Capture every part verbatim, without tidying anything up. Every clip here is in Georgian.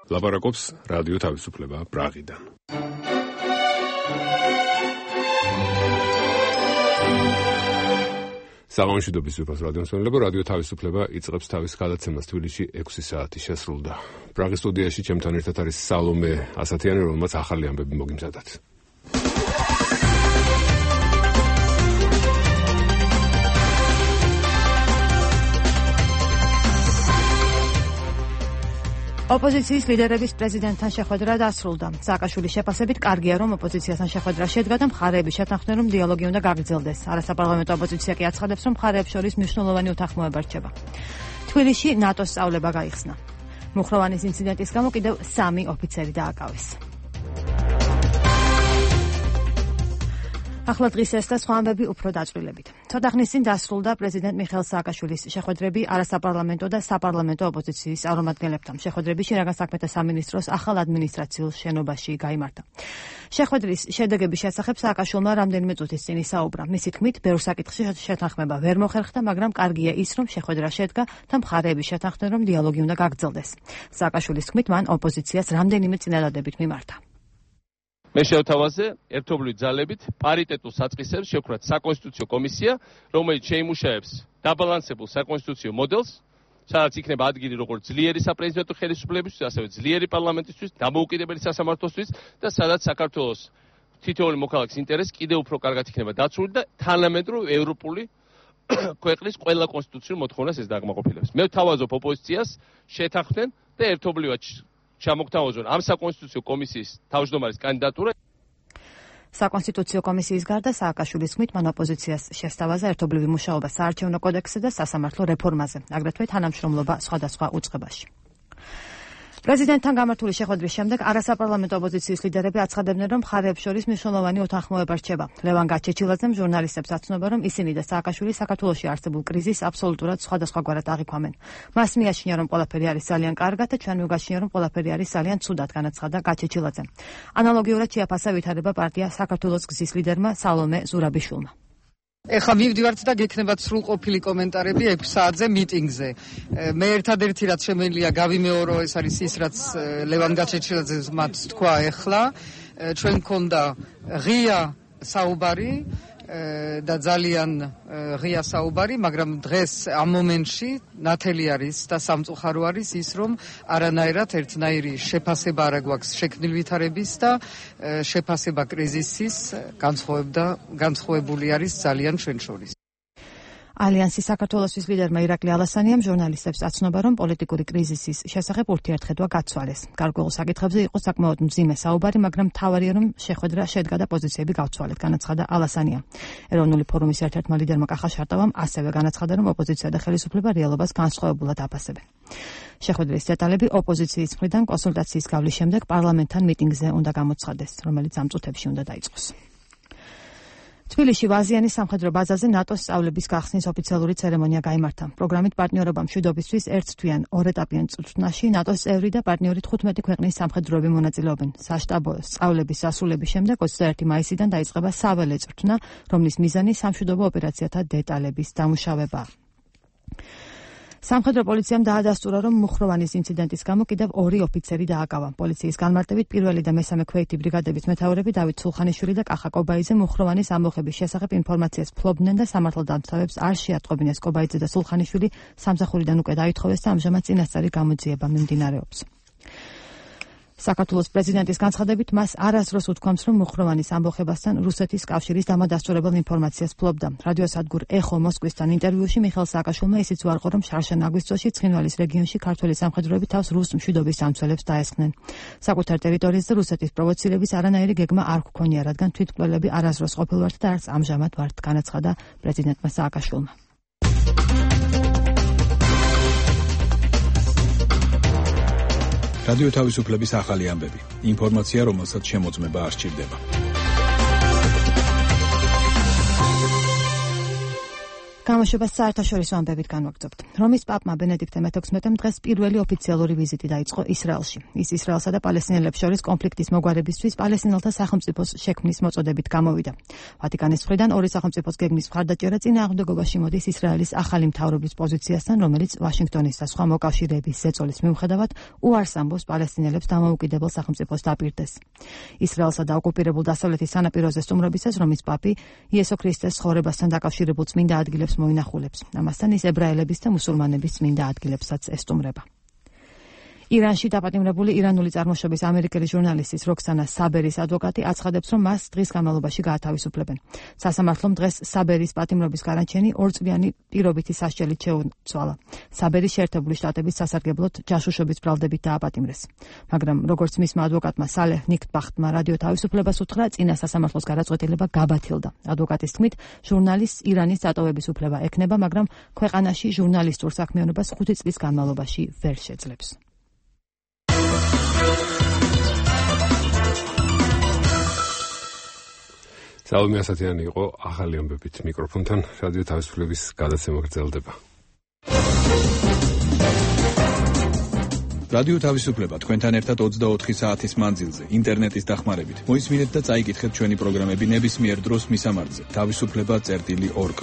ლაპარაკობს რადიო თავისუფლება პრაღიდან. საღამოშვიდობის ვიფას რადიომსმენელებო, რადიო თავისუფლება იწყებს თავის გადაცემას თბილისში ექვსი საათი შესრულდა. პრაღის სტუდიაში ჩემთან ერთად არის სალომე ასათიანი, რომელმაც ახალი ამბები მოგიმზადათ. ოპოზიციის ლიდერების პრეზიდენტთან შეხვედრა დასრულდა. სააკაშვილის შეფასებით კარგია, რომ ოპოზიციასთან შეხვედრა შედგა და მხარეები შეთანხმდნენ, რომ დიალოგი უნდა გაგრძელდეს. არასაპარლამენტო ოპოზიცია კი აცხადებს, რომ მხარეებს შორის მნიშვნელოვანი უთანხმოება რჩება. თბილისში ნატოს სწავლება გაიხსნა. მუხროვანის ინციდენტის გამო კიდევ სამი ოფიცერი დააკავეს. ახლა დღის ეს და სხვა ამბები უფრო დაწვრილებით. ცოტა ხნის წინ დასრულდა პრეზიდენტ მიხეილ სააკაშვილის შეხვედრები არასაპარლამენტო და საპარლამენტო ოპოზიციის წარმომადგენლებთან. შეხვედრები შინაგან საქმეთა სამინისტროს ახალ ადმინისტრაციულ შენობაში გაიმართა. შეხვედრის შედეგების შესახებ სააკაშვილმა რამდენიმე წუთის წინ ისაუბრა. მისი თქმით, ბევრ საკითხში შეთანხმება ვერ მოხერხდა, მაგრამ კარგია ის, რომ შეხვედრა შედგა და მხარეები შეთანხმდნენ, რომ დიალოგი უნდა გაგრძელდეს. სააკაშვილის თქმით, მან ოპოზიციას რამდენიმე წინადადებით მიმართა. მე შევთავაზე ერთობლივი ძალებით პარიტეტულ საწყისებს შევქმნათ საკონსტიტუციო კომისია, რომელიც შეიმუშაებს დაბალანსებულ საკონსტიტუციო მოდელს, სადაც იქნება ადგილი როგორც ძლიერი საპრეზიდენტო ხელისუფლებისთვის, ასევე ძლიერი პარლამენტისთვის, დამოუკიდებელი სასამართლოსთვის და სადაც საქართველოს თითოეული მოქალაქის ინტერესი კიდევ უფრო კარგად იქნება დაცული და თანამედროვე ევროპული ქვეყნის ყველა კონსტიტუციურ მოთხოვნას ეს დაკმაყოფილებს. მე ვთავაზობ ოპოზიციას შეთანხმდნენ და ერთობლივად ჩამოგთავაზონ ამ საკონსტიტუციო კომისიის თავმჯდომარის კანდიდატურა. საკონსტიტუციო კომისიის გარდა სააკაშვილის თქმით, მან ოპოზიციას შესთავაზა ერთობლივი მუშაობა საარჩევნო კოდექსზე და სასამართლო რეფორმაზე, აგრეთვე თანამშრომლობა სხვადასხვა უწყებაში. პრეზიდენტთან გამართული შეხვედრის შემდეგ არასაპარლამენტო ოპოზიციის ლიდერები აცხადებდნენ, რომ მხარეებს შორის მნიშვნელოვანი უთანხმოება რჩება. ლევან გაჩეჩილაძემ ჟურნალისტებს აცნობა, რომ ისინი და სააკაშვილი საქართველოში არსებულ კრიზისს აბსოლუტურად სხვადასხვაგვარად აღიქვამენ. მას მიაჩნია, რომ ყველაფერი არის ძალიან კარგად და ჩვენ მივგაჩნია, რომ ყველაფერი არის ძალიან ცუდად, განაცხადა გაჩეჩილაძემ. ანალოგიურად შეაფასა ვითარება პარტია საქართველოს გზის ლიდერმა სალომე ზურაბიშვილმა. ეხლა მივდივართ და გექნებათ სრულყოფილი კომენტარები ექვსი საათზე მიტინგზე. მე ერთადერთი რაც შემიძლია გავიმეორო, ეს არის ის, რაც ლევან გაჩეჩილაძემ მათ თქვა ეხლა. ჩვენ მქონდა ღია საუბარი და ძალიან ღია საუბარი, მაგრამ დღეს ამ მომენტში ნათელი არის და სამწუხარო არის ის, რომ არანაირად ერთნაირი შეფასება არ გვაქვს შექმნილ ვითარების და შეფასება კრიზისის განსხვავებდა განსხვავებული არის ძალიან ჩვენ შორის. ალიანსის საქართველოსთვის ლიდერმა ირაკლი ალასანიამ ჟურნალისტებს აცნობა, რომ პოლიტიკური კრიზისის შესახებ ურთიერთხედვა გაცვალეს. გარკვეულ საკითხებზე იყო საკმაოდ მძიმე საუბარი, მაგრამ მთავარია, რომ შეხვედრა შედგა და პოზიციები გავცვალეთ, განაცხადა ალასანია. ეროვნული ფორუმის ერთ-ერთმა ლიდერმა კახა შარტავამ ასევე განაცხადა, რომ ოპოზიცია და ხელისუფლება რეალობას განსხვავებულად აფასებენ. შეხვედრის დეტალები ოპოზიციის მხრიდან კონსულტაციის გავლის შემდეგ პარლამენტთან მიტინგზე უნდა გამოცხადდეს, რომელიც ამ წუთებში უნდა დაიწყოს. თბილისში ვაზიანის სამხედრო ბაზაზე ნატოს სწავლების გახსნის ოფიციალური ცერემონია გაიმართა. პროგრამით პარტნიორობა მშვიდობისთვის ერთთვიან ორეტაპიან წვრთნაში ნატოს წევრი და პარტნიორი თხუთმეტი ქვეყნის სამხედროები მონაწილეობენ. საშტაბო სწავლების დასრულების შემდეგ ოცდაერთი მაისიდან დაიწყება საველე წვრთნა, რომლის მიზანი სამშვიდობო ოპერაციათა დეტალების დამუშავება. სამხედრო პოლიციამ დაადასტურა, რომ მუხროვანის ინციდენტის გამო კიდევ ორი ოფიცერი დააკავა. პოლიციის განმარტებით პირველი და მესამე ქვეითი ბრიგადების მეთაურები დავით სულხანიშვილი და კახა კობაიძე მუხროვანის ამბოხების შესახებ ინფორმაციას ფლობდნენ და სამართალდამცავებს არ შეატყობინეს. კობაიძე და სულხანიშვილი სამსახურიდან უკვე დაითხოვეს და ამჟამად წინასწარი გამოძიება მიმდინარეობს. საქართველოს პრეზიდენტის განცხადებით მას არასდროს უთქვამს, რომ მუხროვანის ამბოხებასთან რუსეთის კავშირის დამადასტურებელ ინფორმაციას ფლობდა. რადიოსადგურ ეხო მოსკვისთან ინტერვიუში მიხეილ სააკაშვილმა ისიც უარყო, რომ შარშან აგვისტოში ცხინვალის რეგიონში ქართველი სამხედროები თავს რუს მშვიდობის სამცველებს დაესხნენ. საკუთარ ტერიტორიაზე რუსეთის პროვოცირების არანაირი გეგმა არ გვქონია, რადგან თვითმკვლელები არასდროს ყოფილვართ და არც ამჟამად ვართ, განაცხადა პრეზიდენტმა სააკაშვილმა. რადიო თავისუფლების ახალი ამბები. ინფორმაცია, რომელსაც შემოწმება არ სჭირდება. გამოშვებას საერთაშორისო ამბებით განვაგრძობთ. რომის პაპმა ბენედიქტე მეთექვსმეტემ დღეს პირველი ოფიციალური ვიზიტი დაიწყო ისრაელში. ის ისრაელსა და პალესტინელებს შორის კონფლიქტის მოგვარებისთვის პალესტინელთა სახელმწიფოს შექმნის მოწოდებით გამოვიდა. ვატიკანის მხრიდან ორი სახელმწიფოს გეგმის მხარდაჭერა წინააღმდეგობაში მოდის ისრაელის ახალი მთავრობის პოზიციასთან, რომელიც ვაშინგტონის და სხვა მოკავშირეების ზეწოლის მიუხედავად უარს ამბობს პალესტინელებს დამოუკიდებელ სახელმწიფოს დაპირდეს. ისრაელსა და ოკუპირებულ დასავლეთის სანაპიროზე სტუმრობისას რომის პაპი იესო ქრისტეს ცხოვრებასთან დაკავშირებულ წმინდა ადგილებს მოინახულებს. ამასთან ის ებრაელების და მუსულმანების წმინდა ადგილებსაც ესტუმრება. ირანში დაპატიმრებული ირანული წარმოშობის ამერიკელი ჟურნალისტის როქსანა საბერის ადვოკატი აცხადებს, რომ მას დღის განმავლობაში გაათავისუფლებენ. სასამართლომ დღეს საბერის პატიმრობის განაჩენი ორწლიანი პირობითი სასჯელით შეუცვალა. საბერი შეერთებული შტატების სასარგებლოდ ჯაშუშობის ბრალდებით დააპატიმრეს. მაგრამ როგორც მისმა ადვოკატმა სალეჰ ნიქტბახტმა რადიო თავისუფლებას უთხრა, წინა სასამართლოს გადაწყვეტილება გაბათილდა. ადვოკატის თქმით, ჟურნალისტს ირანის დატოვების უფლება ექნება, მაგრამ ქვეყანაში ჟურნალისტურ საქმიანობას ხუთი წლის განმავლობაში ვერ შეძლებს. სალომე ასათიანი იყო ახალი ამბებით მიკროფონთან რადიო თავისუფლების გადაცემა გრძელდება. რადიო თავისუფლება თქვენთან ერთად ოცდაოთხი საათის მანძილზე ინტერნეტის დახმარებით. მოისმინეთ და წაიკითხეთ ჩვენი პროგრამები ნებისმიერ დროს მისამართზე თავისუფლება წერტილი ორგ.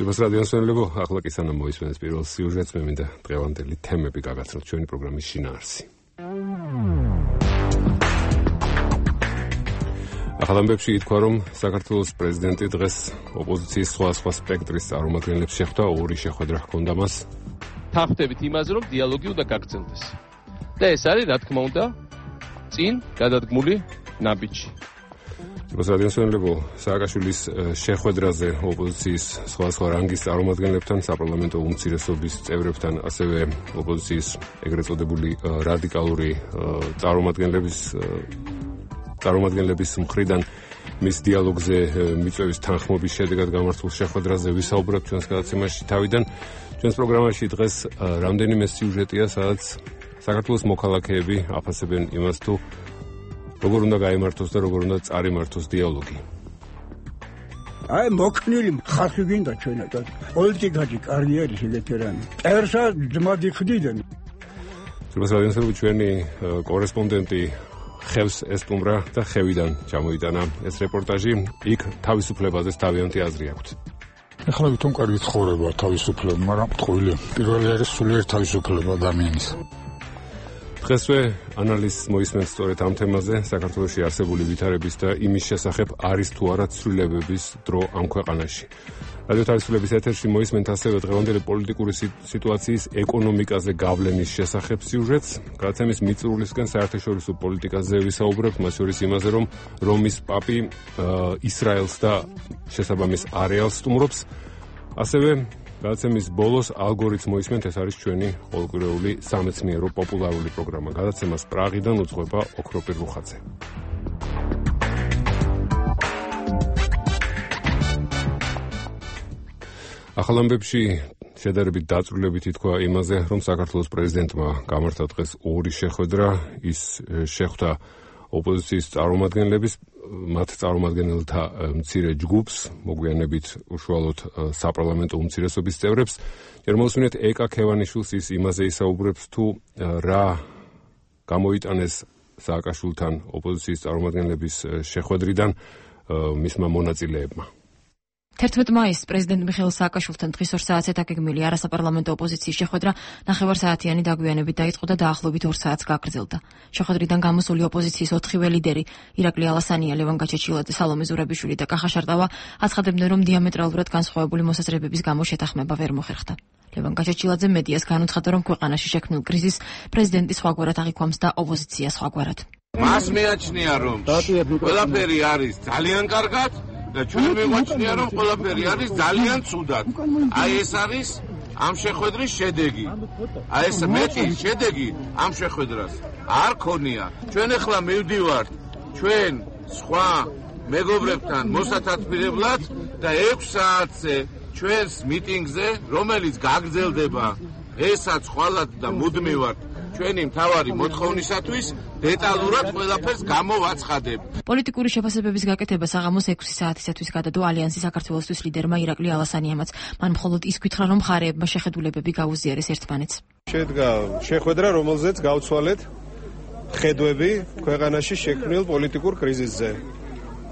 Libas radio მსმენელებო, ახლა კი სანამ მოისმენთ პირველ სიუჟეტს, მე მინდა დღევანდელი თემები გაგაცნოთ ჩვენი პროგრამის შინაარსი. ახალ ამბებში ითქვა, რომ საქართველოს პრეზიდენტი დღეს ოპოზიციის სხვადასხვა სპექტრის წარმომადგენლებს შეხვდა, ორი შეხვედრა ჰქონდა მას. თანხმდებით იმაზე, რომ დიალოგი უნდა გაგრძელდეს. და ეს არის, რა თქმა უნდა, წინ გადადგმული ნაბიჯი. Libas radio მსმენელებო, სააკაშვილის შეხვედრაზე ოპოზიციის სხვადასხვა რანგის წარმომადგენლებთან, საპარლამენტო უმცირესობის წევრებთან, ასევე ოპოზიციის ეგრეთ წოდებული რადიკალური წარმომადგენლების წარმომადგენლების მხრიდან მის დიალოგზე მიწვევის თანხმობის შედეგად გამართულ შეხვედრაზე ვისაუბრებთ ჩვენს გადაცემაში თავიდან. ჩვენს პროგრამაში დღეს რამდენიმე სიუჟეტია, სადაც საქართველოს მოქალაქეები აფასებენ იმას, თუ როგორ უნდა გაიმართოს და როგორ უნდა წარიმართოს დიალოგი. აი მოქნილი ხალხი გინდა ჩვენად პოლიტიკაში კარიერის ვეტერანი. ერსა ძმად იხდიდნენ. Libas radio მსმენელებო, ჩვენი კორესპონდენტი ხევს ესტუმრა და ხევიდან ჩამოიტანა ეს რეპორტაჟი. იქ თავისუფლებაზე თავიანთი აზრი აქვთ. ეხლა ვითომ კარგი ცხოვრება თავისუფლება, მაგრამ ტყუილი. პირველი არის სულიერ თავისუფლება ადამიანის. დღესვე ანალიზს მოისმენთ სწორედ ამ თემაზე, საქართველოში არსებული ვითარების და იმის შესახებ არის თუ არა ცვლილებების დრო ამ ქვეყანაში. რადიო თავისუფლების ეთერში მოისმენთ ასევე დღევანდელი პოლიტიკური სიტუაციის ეკონომიკაზე გავლენის შესახებ სიუჟეტს. გადაცემის მიწურულისკენ საერთაშორისო პოლიტიკაზე ვისაუბრებთ, მას შორის იმაზე, რომ რომის პაპი ისრაელს და შესაბამის არეალს სტუმრობს. ასევე გადაცემის ბოლოს ალგორითმს მოისმენთ, ეს არის ჩვენი ყოველკვირეული სამეცნიერო პოპულარული პროგრამა. გადაცემას პრაღიდან უძღვება ოქროპირ რუხაძე. ახალ ამბებში შედარებით დაწვრილებით ითქვა იმაზე, რომ საქართველოს პრეზიდენტმა გამართა დღეს ორი შეხვედრა. ის შეხვდა ოპოზიციის წარმომადგენლების, მათ წარმომადგენელთა მცირე ჯგუფს, მოგვიანებით უშუალოდ საპარლამენტო უმცირესობის წევრებს. ჯერ მოსმინეთ ეკა ქევანიშვილს, ის იმაზე ისაუბრებს, თუ რა გამოიტანეს სააკაშვილთან ოპოზიციის წარმომადგენლების შეხვედრიდან მისმა მონაწილეებმა. თერთმეტ მაისს პრეზიდენტ მიხეილ სააკაშვილთან დღის ორ საათზე დაგეგმილი არასაპარლამენტო ოპოზიციის შეხვედრა ნახევარსაათიანი დაგვიანებით დაიწყო და დაახლოებით ორ საათს გაგრძელდა. შეხვედრიდან გამოსული ოპოზიციის ოთხივე ლიდერი, ირაკლი ალასანია, ლევან გაჩეჩილაძე, სალომე ზურაბიშვილი და კახა შარტავა აცხადებდნენ, რომ დიამეტრალურად განსხვავებული მოსაზრებების გამო შეთანხმება ვერ მოხერხდა. ლევან გაჩეჩილაძე მედიას განუცხადა, რომ ქვეყანაში შექმნილ კრიზისს პრეზიდენტი სხვაგვარად აღიქვამს და ოპოზიცია სხვაგვარად. მას მეაჩნია, რომ ყველაფერი არის ძალიან კარგად და ჩვენ მეგვაჩნია, რომ ყველაფერი არის ძალიან ცუდად. აი ეს არის ამ შეხვედრის შედეგი. აი ეს მეტი შედეგი ამ შეხვედრას არ ქონია. ჩვენ ახლა მივდივართ ჩვენ სხვა მეგობრებთან მოსათათბირებლად და ექვს საათზე ჩვენს მიტინგზე, რომელიც გაგრძელდება ესაც ხვალად და მუდმივად ჩვენი მთავარი მოთხოვნისათვის დეტალურად ყველაფერს გამოვაცხადებ. პოლიტიკური შეფასებების გაკეთება საღამოს ექვსი საათისათვის გადადო ალიანსის საქართველოსთვის ლიდერმა ირაკლი ალასანიამაც. მან მხოლოდ ის გითხრა, რომ მხარეებმა შეხედულებები გაუზიარეს ერთმანეთს. შედგა შეხვედრა, რომელზეც გავცვალეთ ხედვები ქვეყანაში შექმნილ პოლიტიკურ კრიზისზე.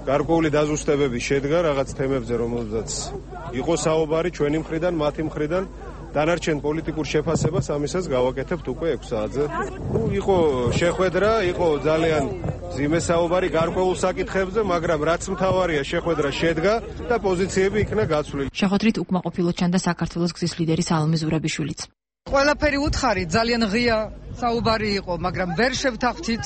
გარკვეული დაზუსტებები შედგა რაღაც თემებზე, რომელზეც იყო საუბარი ჩვენი მხრიდან, მათი მხრიდან. დანარჩენ პოლიტიკურ შეფასებას ამისას გავაკეთებთ უკვე ექვს საათზე. ნუ იყო შეხვედრა, იყო ძალიან მძიმე საუბარი გარკვეულ საკითხებზე, მაგრამ რაც მთავარია შეხვედრა შედგა და პოზიციები იქნა გაცვლილი. შეხვედრით უკმაყოფილოდ ჩანდა საქართველოს გზის ლიდერი სალომე ზურაბიშვილიც. ყველაფერი უთხარი, ძალიან ღია საუბარი იყო, მაგრამ ვერ შევთანხმდით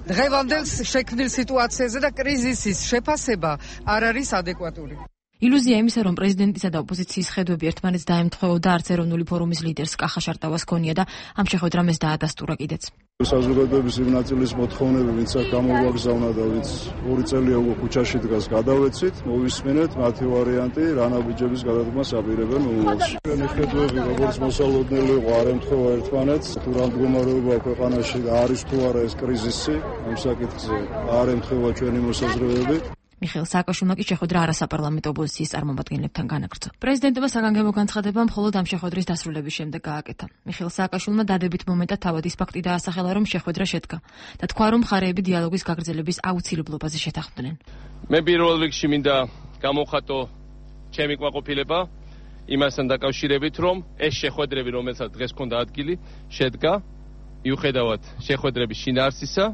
დღევანდელ შექმნილ სიტუაციაზე და კრიზისის შეფასება არ არის ადეკვატური. ილუზია იმისა, რომ პრეზიდენტისა და ოპოზიციის ხედვები ერთმანეთს დაემთხვეოდა, არც ეროვნული ფორუმის ლიდერს კახა შარტავას ჰქონია და ამ შეხვედრამ ეს დაადასტურა კიდეც. საზოგადოების იმ ნაწილის მოთხოვნები, ვინც აქ გამოვაგზავნა და ვინც ორი წელია უკვე ქუჩაში დგას, გადავეცით, მოვისმენეთ მათი ვარიანტი, რა ნაბიჯების გადადგმას აპირებენ მომავალში. ჩვენი ხედვები, როგორც მოსალოდნელი იყო, არ ემთხვევა ერთმანეთს, თუ რა მდგომარეობა ქვეყანაში არის თუ არა ეს კრიზისი, ამ საკითხზე არ ემთხვევა ჩვენი მოსაზრებები. მიხეილ სააკაშვილმა კი შეხვედრა არასაპარლამენტო ოპოზიციის წარმომადგენლებთან განაგრძო. პრეზიდენტმა საგანგებო განცხადება მხოლოდ ამ შეხვედრის დასრულების შემდეგ გააკეთა. მიხეილ სააკაშვილმა დადებით მომენტად თავად ის ფაქტი დაასახელა, რომ შეხვედრა შედგა და თქვა, რომ მხარეები დიალოგის გაგრძელების აუცილებლობაზე შეთანხმდნენ. მე პირველ რიგში მინდა გამოვხატო ჩემი კმაყოფილება იმასთან დაკავშირებით, რომ ეს შეხვედრები, რომელსაც დღეს ჰქონდა ადგილი, შედგა მიუხედავად შეხვედრების შინაარსისა,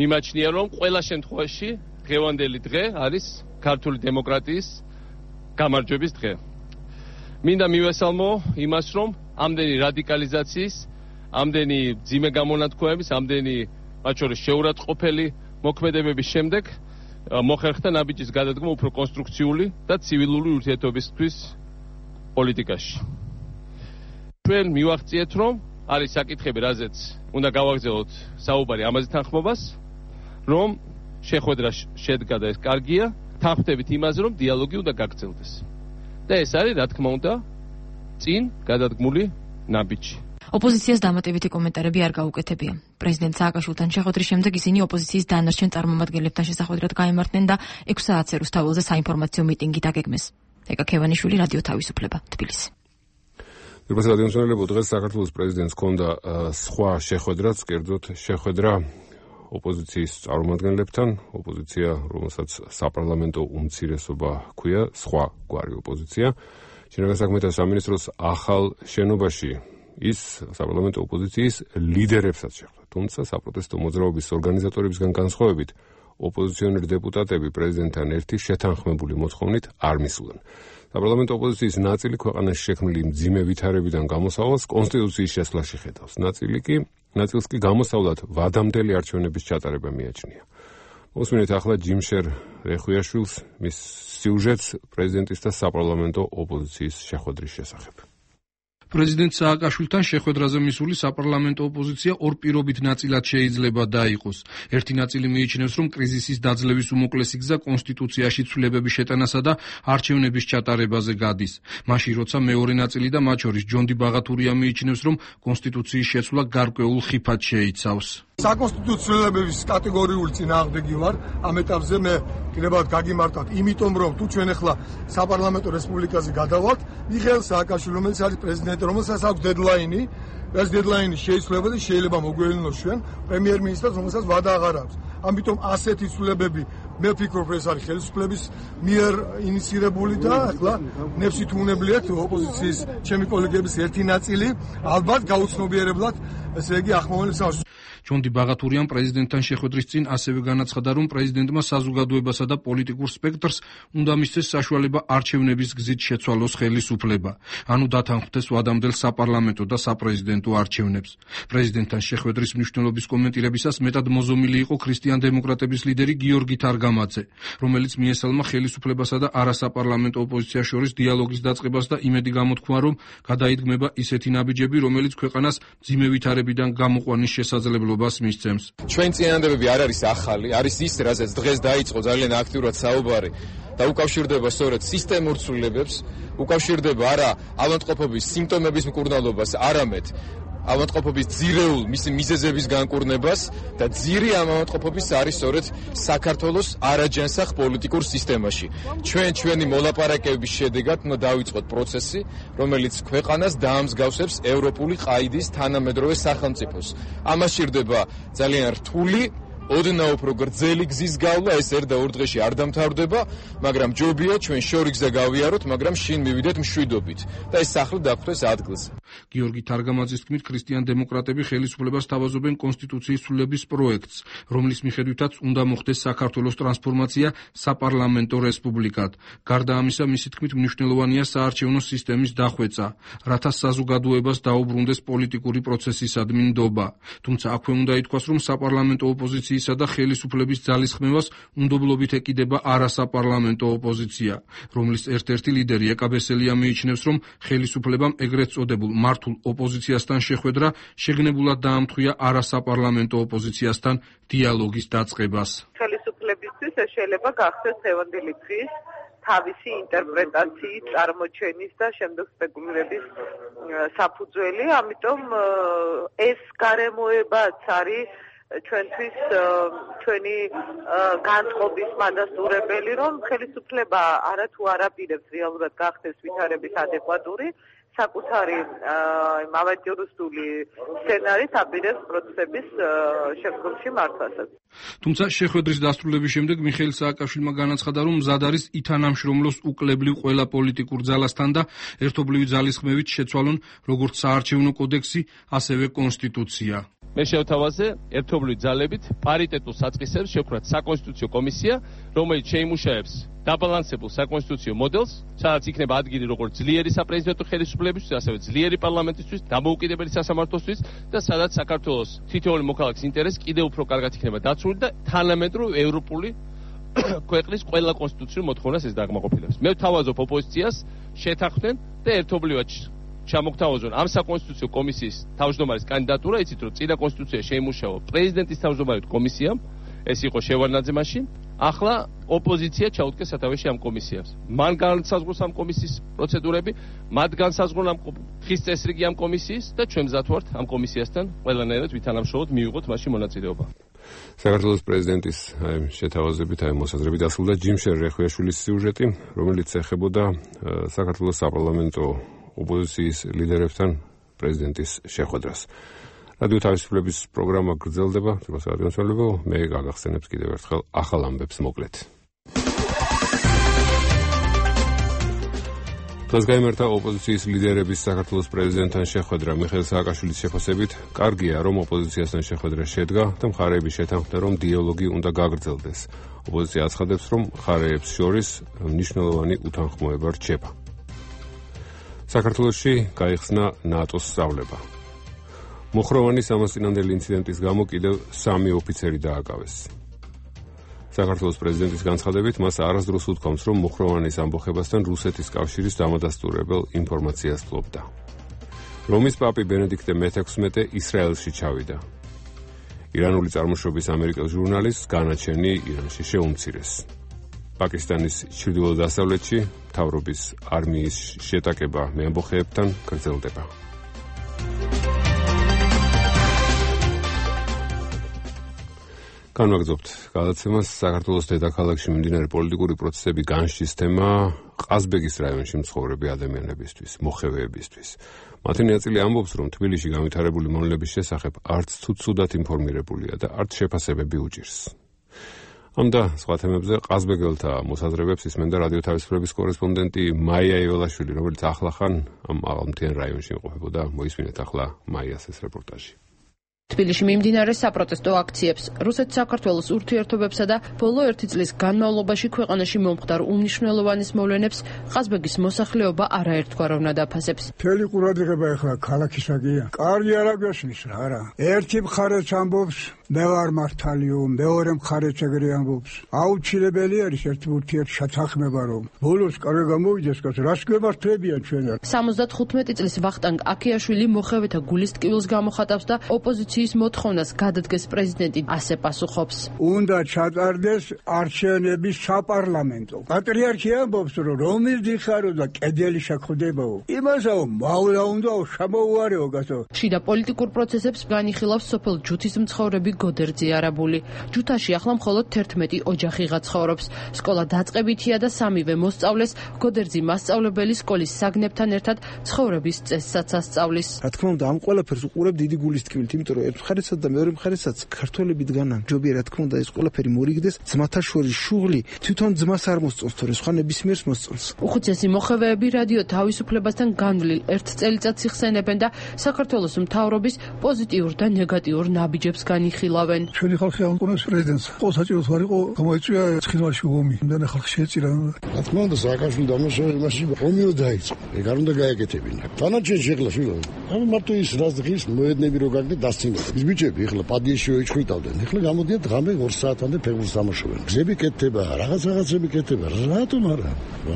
მიმაჩნია, რომ ყველა შემთხვევაში დღევანდელი დღე არის ქართული დემოკრატიის გამარჯვების დღე. მინდა მივესალმო იმას, რომ ამდენი რადიკალიზაციის, ამდენი ძიმე გამონათქვამების, ამდენი მათ შორის შეურაცხყოფელი მოქმედებების შემდეგ მოხერხდა ნაბიჯის გადადგმა უფრო კონსტრუქციული და ცივილური ურთიერთობისთვის პოლიტიკაში. ჩვენ მივახციეთ, რომ არის საკითხები, რაზეც უნდა გავაგრძელოთ საუბარი ამაზე თანხმობას, რომ შეხვედრა შედგა და ეს კარგია, თანხმდებით იმაზე, რომ დიალოგი უნდა გაგრძელდეს. და ეს არის, რა თქმა უნდა, წინ გადადგმული ნაბიჯი. ოპოზიციას დამატებითი კომენტარები არ გაუკეთებია. პრეზიდენტ სააკაშვილთან შეხვედრის შემდეგ ისინი ოპოზიციის დანარჩენ წარმომადგენლებთან შესახვედრად გაემართნენ და ექვს საათზე რუსთაველზე საინფორმაციო მიტინგი დაგეგმეს. ეკა ქევანიშვილი, რადიო თავისუფლება, თბილისი. პირველ რადიო მსმენელებო, დღეს საქართველოს პრეზიდენტს ჰქონდა სხვა შეხვედრაც, კერძოდ შეხვედრა ოპოზიციის წარმომადგენლებთან, ოპოზიცია, რომელსაც საპარლამენტო უმცირესობა ჰქვია, სხვა გვარი ოპოზიცია. შინაგან საქმეთა სამინისტროს ახალ შენობაში ის საპარლამენტო ოპოზიციის ლიდერებსაც შეხვდა. თუმცა საპროტესტო მოძრაობის ორგანიზატორებისგან განსხვავებით, ოპოზიციონერი დეპუტატები პრეზიდენტთან ერთი შეთანხმებული მოთხოვნით არ მისულან. საპარლამენტო ოპოზიციის ნაწილი ქვეყანაში შექმნილი მძიმე ვითარებიდან გამოსავალს კონსტიტუციის შესვლაში ხედავს. ნაწილი კი ნაწილს კი გამოსავლად ვადამდელი არჩევნების ჩატარება მიაჩნია. მოსმინეთ ახლა ჯიმშერ რეხვიაშვილს მის სიუჟეტს პრეზიდენტის და საპარლამენტო ოპოზიციის შეხვედრის შესახებ. პრეზიდენტ სააკაშვილთან შეხვედრაზე მისული საპარლამენტო ოპოზიცია ორ პირობით ნაწილად შეიძლება დაიყოს. ერთი ნაწილი მიიჩნევს, რომ კრიზისის დაძლევის უმოკლესი გზა კონსტიტუციაში ცვლილებების შეტანასა და არჩევნების ჩატარებაზე გადის. მაშინ როცა მეორე ნაწილი და მათ შორის ჯონდი ბაღათურია მიიჩნევს, რომ კონსტიტუციის შეცვლა გარკვეულ ხიფად შეიცავს. საკონსტიტუციო ცვლილებების კატეგორიული წინააღმდეგი ვარ. ამ ეტაპზე მე კიდევაც გაგიმართავთ, იმიტომ რომ თუ ჩვენ ახლა საპარლამენტო რესპუბლიკაზე გადავალთ, მიხეილ სააკაშვილი, რომელიც არის პრეზიდენტი, რომელსაც აქვს დედლაინი, ეს დედლაინი შეიცვლება და შეიძლება მოგვევლინოს ჩვენ პრემიერ-მინისტრს, რომელსაც ვადა აღარ აქვს. ამიტომ ასეთი ცვლილებები მე ვფიქრობ, ეს არის ხელისუფლების მიერ ინიცირებული და ახლა ნებსით უნებლიათ ოპოზიციის ჩემი კოლეგების ერთი ნაწილი ალბათ გაუცნობიერებლად, ესე იგი ახმოვანებს ამას. ჯონდი ბაღათურიამ პრეზიდენტთან შეხვედრის წინ ასევე განაცხადა, რომ პრეზიდენტმა საზოგადოებასა და პოლიტიკურ სპექტრს უნდა მისცეს საშუალება არჩევნების გზით შეცვალოს ხელისუფლება, ანუ დათანხმდეს ვადამდელ საპარლამენტო და საპრეზიდენტო არჩევნებს. პრეზიდენტთან შეხვედრის მნიშვნელობის კომენტირებისას მეტად მოზომილი იყო ქრისტიან-დემოკრატების ლიდერი გიორგი თარგამაძე, რომელიც მიესალმა ხელისუფლებასა და არასაპარლამენტო ოპოზიციას შორის დიალოგის დაწყებას და იმედი გამოთქვა, რომ გადაიდგმება ისეთი ნაბიჯები, რომელიც ქვეყანას მძიმე ვითარებიდან გამოყვანის შესაძლებლობას მისცემს. ჩვენ წინადადებები არ არის ახალი, არის ის, რაზეც დღეს დაიწყო ძალიან აქტიურად საუბარი და უკავშირდება სწორედ სისტემურ ცვლილებებს, უკავშირდება არა ავადმყოფობის სიმპტომების მკურნალობას, არამედ ავადმყოფობის ძირეულ მისი მიზეზების განკურნებას და ძირი ამ ავადმყოფობის არის სწორედ საქართველოს არაჯანსაღ პოლიტიკურ სისტემაში. ჩვენ ჩვენი მოლაპარაკებების შედეგად უნდა დავიწყოთ პროცესი, რომელიც ქვეყანას დაამსგავსებს ევროპული ყაიდის თანამედროვე სახელმწიფოს. ამას სჭირდება ძალიან რთული ოდნავ უფრო გრძელი გზის გავლა, ეს ერთ და ორ დღეში არ დამთავრდება, მაგრამ ჯობია ჩვენ შორი გზა გავიაროთ, მაგრამ შინ მივიდეთ მშვიდობით და ეს სახლი დაგხვდეს ადგილზე. გიორგი თარგამაძის თქმით, ქრისტიან-დემოკრატები ხელისუფლებას თავაზობენ კონსტიტუციის ცვლილების პროექტს, რომლის მიხედვითაც უნდა მოხდეს საქართველოს ტრანსფორმაცია საპარლამენტო რესპუბლიკად. გარდა ამისა, მისი თქმით, მნიშვნელოვანია საარჩევნო სისტემის დახვეწა, რათა საზოგადოებას დაუბრუნდეს პოლიტიკური პროცესისადმი ნდობა. თუმცა აქვე უნდა ითქვას, რომ საპარლამენტო ოპოზიციის და ხელისუფლების ძალისხმევას უნდობლობით ეკიდება არასაპარლამენტო ოპოზიცია, რომლის ერთ-ერთი ლიდერი ეკაბესელია მიიჩნევს, რომ ხელისუფლებამ ეგრეთ წოდებულ მართულ ოპოზიციასთან შეხვედრა შეგნებულად დაამთხვია არასაპარლამენტო ოპოზიციასთან დიალოგის დაწყებას. ხელისუფლებისთვის ეს შეიძლება გახდეს დღევანდელი დღის თავისი ინტერპრეტაციის, წარმოჩენის და შემდეგ სპეკულირების საფუძველი, ამიტომ ეს გარემოებაც არის ჩვენთვის ჩვენი განწყობის მადასტურებელი, რომ ხელისუფლება არათუ არაპირებს რეალურად გახდეს ვითარების ადეკვატური, საკუთარი ავანტიურისტული სცენარით აპირებს პროცესების შემდგომში მართვასაც. თუმცა შეხვედრის დასრულების შემდეგ მიხეილ სააკაშვილმა განაცხადა, რომ მზად არის ითანამშრომლოს უკლებლივ ყველა პოლიტიკურ ძალასთან და ერთობლივი ძალისხმევით შეცვალონ როგორც საარჩევნო კოდექსი, ასევე კონსტიტუცია. მე შევთავაზე ერთობლივი ძალებით პარიტეტულ საწყისებს შევქმნათ საკონსტიტუციო კომისია, რომელიც შეიმუშაებს დაბალანსებულ საკონსტიტუციო მოდელს, სადაც იქნება ადგილი როგორც ძლიერი საპრეზიდენტო ხელისუფლებისთვის, ასევე ძლიერი პარლამენტისთვის, დამოუკიდებელი სასამართლოსთვის და სადაც საქართველოს თითოეული მოქალაქის ინტერესი კიდევ უფრო კარგად იქნება დაცული და თანამედროვე ევროპული ქვეყნის ყველა კონსტიტუციურ მოთხოვნას ეს დაკმაყოფილებს. მე ვთავაზობ ოპოზიციას შეთანხმდნენ და ერთობლივად ჩამოგთავაზონ ამ საკონსტიტუციო კომისიის თავმჯდომარის კანდიდატურა, იცით რომ წინა კონსტიტუცია შეიმუშავა პრეზიდენტის თავმჯდომარედ კომისიამ, ეს იყო შევარდნაძე მაშინ, ახლა ოპოზიცია ჩაუდგეს სათავეში ამ კომისიას. მან განსაზღვროს ამ კომისიის პროცედურები, მათ განსაზღვრონ ამ ხის წესრიგი ამ კომისიის და ჩვენ მზად ვართ ამ კომისიასთან ყველანაირად ვითანამშრომლოთ, მივიღოთ მაშინ მონაწილეობა. საქართველოს პრეზიდენტის შეთავაზებით აი მოსაზრებით დასრულდა ჯიმშერ რეხვიაშვილის სიუჟეტი, რომელიც ეხებოდა საქართველოს საპარლამენტო ოპოზიციის ლიდერებთან პრეზიდენტის შეხვედრას. რადიო თავისუფლების პროგრამა გრძელდება, თვითონ რადიოსმოლებო, მე გაგახსენებს კიდევ ერთხელ ახალ ამბებს მოკლედ. დღეს გაიმართა ოპოზიციის ლიდერების საქართველოს პრეზიდენტთან შეხვედრა. მიხეილ სააკაშვილის შეფასებით, კარგია, რომ ოპოზიციასთან შეხვედრა შედგა და მხარეები შეთანხმდნენ, რომ დიალოგი უნდა გაგრძელდეს. ოპოზიცია აცხადებს, რომ მხარეებს შორის მნიშვნელოვანი უთანხმოება რჩება. საქართველოში გაიხსნა ნატოს სწავლება. მუხროვანი სამასწინანდელი ინციდენტის გამო კიდევ სამი ოფიცერი დააკავეს. საქართველოს პრეზიდენტის განცხადებით, მას არასდროს უთქვამს, რომ მუხროვანის ამბოხებასთან რუსეთის კავშირის დამადასტურებელ ინფორმაციას ფლობდა. რომის პაპი ბენედიქტე მეთექვსმეტე ისრაელში ჩავიდა. ირანული წარმოშობის ამერიკელ ჟურნალისტს განაჩენი ირანში შეუმცირეს. პაკისტანის ჩრდილო-დასავლეთში მთავრობის არმიის შეტაკება მეამბოხეებთან გრძელდება. განვაგრძობთ გადაცემას. საქართველოს დედაქალაქში მიმდინარე პოლიტიკური პროცესები განშის თემა ყაზბეგის რაიონში მცხოვრები ადამიანებისთვის, მოხევეებისთვის. მათი ნაწილი ამბობს, რომ თბილისში განვითარებული მონელების შესახებ არც თუ ცუდად ინფორმირებულია და არც შეფასებები უჭირს. ამ და სხვა თემებზე ყაზბეგელთა მოსაზრებებს ისმენდა რადიო თავისუფლების კორესპონდენტი მაია იოლაშვილი, რომელიც ახლახან ამ აღმთიან რაიონში იმყოფებოდა. მოისმინეთ ახლა მაიას ეს რეპორტაჟი. თბილისში მიმდინარე საპროტესტო აქციებს, რუსეთ-საქართველოს ურთიერთობებსა და ბოლო ერთი წლის განმავლობაში ქვეყანაში მომხდარ უმნიშვნელოვანეს მოვლენებს ყაზბეგის მოსახლეობა არაერთგვაროვნად აფასებს. მთელი ყურადღება ახლა ქალაქისაგია. კარგი არ აგვესმის რა რა. ერთი მხარეც ამბობს, მე ვარ მართალიო, მეორე მხარეც ეგრე ამბობს. აუცილებელი არის ერთი ურთიერთშეთანხმება, რომ ბოლოს კარგი გამოვიდეს, კაც რას გვემართებიან ჩვენ. სამოცდათხუთმეტი წლის ვახტანგ აქიაშვილი მოხევეთა გულის ტკივილს გამოხატავს და ოპოზიციის პოპოზიციის მოთხოვნას გადადგეს პრეზიდენტი ასე პასუხობს. უნდა ჩატარდეს არჩევნების საპარლამენტო. პატრიარქი ამბობს, რომ რომის დიხარო და კედელი შეხვდებაო. იმასაო მოვლა უნდაო შემოუარეო გასო. შიდა პოლიტიკურ პროცესებს განიხილავს სოფელ ჯუთის მცხოვრები გოდერძი არაბული. ჯუთაში ახლა მხოლოდ თერთმეტი ოჯახი გაცხოვრობს. სკოლა დაწყებითია და სამივე მოსწავლეს გოდერძი მასწავლებელი სკოლის საგნებთან ერთად ცხოვრების წესსაც ასწავლის. რა თქმა უნდა, ამ ყველაფერს უყურებ დიდი გულის თქმით, იმიტომ რომ ერთ მხარესაც და მეორე მხარესაც ქართველები დგანან. ჯობია რა თქმა უნდა ეს ყველაფერი მორიგდეს, ძმათა შორის შუღლი თვითონ ძმას არ მოსწონს, თორე სხვა ნებისმიერს მოსწონს. უხუცესი მოხევეები რადიო თავისუფლებასთან განვლილ ერთ წელიწადს იხსენებენ და საქართველოს მთავრობის პოზიტიურ და ნეგატიურ ნაბიჯებს განიხილავენ. ჩვენი ხალხი ამკონებს პრეზიდენტს. ყო საჭიროს არ იყო, გამოიწვია ცხინვალში ომი. იმდან ხალხი შეეწირა. რა თქმა უნდა, სააკაშვილი დამნაშავე იმაში ომიო დაიწყო. ეგ არ უნდა გაეკეთებინა. დანარჩენი შეხლა შვილო. ამ მარტო ის რას დღის მოედნები რო გაგდე დასცინდა. ის ბიჭები ახლა პადიაში ოიჩხვითავდნენ. ახლა გამოდიან ღამე ორ საათამდე ფეხბურთს თამაშობენ. გზები კეთდება, რაღაც რაღაცები კეთდება. რატომ არა?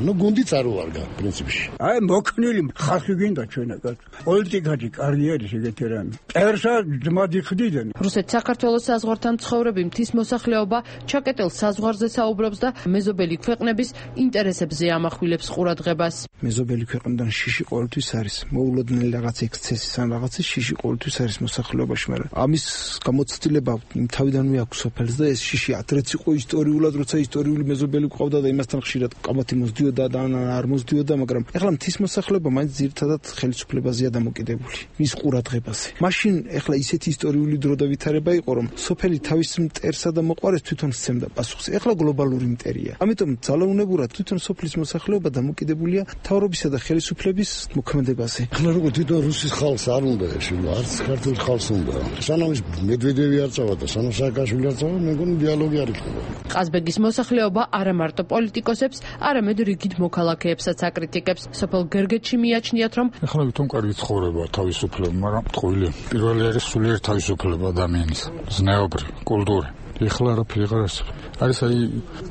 ნუ გუნდიც არ უარგა პრინციპში. აი მოქნილი ხალხი გინდა ჩვენაგად. პოლიტიკაში კარიერის ეგეთი რამე. წერსა ძმად იხდიდნენ. რუსეთ-საქართველოს საზღვართან მცხოვრები მთის მოსახლეობა ჩაკეტილ საზღვარზე საუბრობს და მეზობელი ქვეყნების ინტერესებზე ამახვილებს ყურადღებას. მეზობელი ქვეყნიდან შიში ყოველთვის არის. მოულოდნელი რაღაც ექსცესის ან რაღაცის შიში ყოველთვის არის მოსახლეობაში, მაგრამ ამის გამოცდილება თავიდანვე აქვს სოფელს და ეს შიში ადრეც იყო ისტორიულად, როცა ისტორიული მეზობელი ყავდა და იმასთან ხშირად კამათი მოსდიოდა და არ მოსდიოდა, მაგრამ ეხლა მთის მოსახლეობა მაინც ძირითადად ხელისუფლებაზეა დამოკიდებული, მის ყურადღებაზე. მაშინ ეხლა ისეთი ისტორიული დრო და ვითარება იყო, რომ სოფელი თავის მტერსა და მოყვარეს თვითონ სცემდა პასუხს. ეხლა გლობალური მტერია. ამიტომ ძალაუნებურად თვითონ სოფლის მოსახლეობა დამოკიდებულია მთავრობისა და ხელისუფლების მოქმედებაზე. ახლა როგორ თვითონ რუსის ხალხს არ უნდა ეშილო, არც ქართულ ხალხს უნდა. სანამ ის მედვედევი არ წავა და სანამ სააკაშვილი არ წავა, მე მგონი დიალოგი არ იქნება. ყაზბეგის მოსახლეობა არა მარტო პოლიტიკოსებს, არამედ რიგით მოქალაქეებსაც აკრიტიკებს. სოფელ გერგეთში მიაჩნიათ, რომ ახლა ვითომ კარგი ცხოვრება თავისუფლება, მაგრამ ტყუილი. პირველი არის სულიერ თავისუფლება ადამიანის, ზნეობრივ, კულტურა. ეხლა არაფერი აღარ არსებობს. არის აი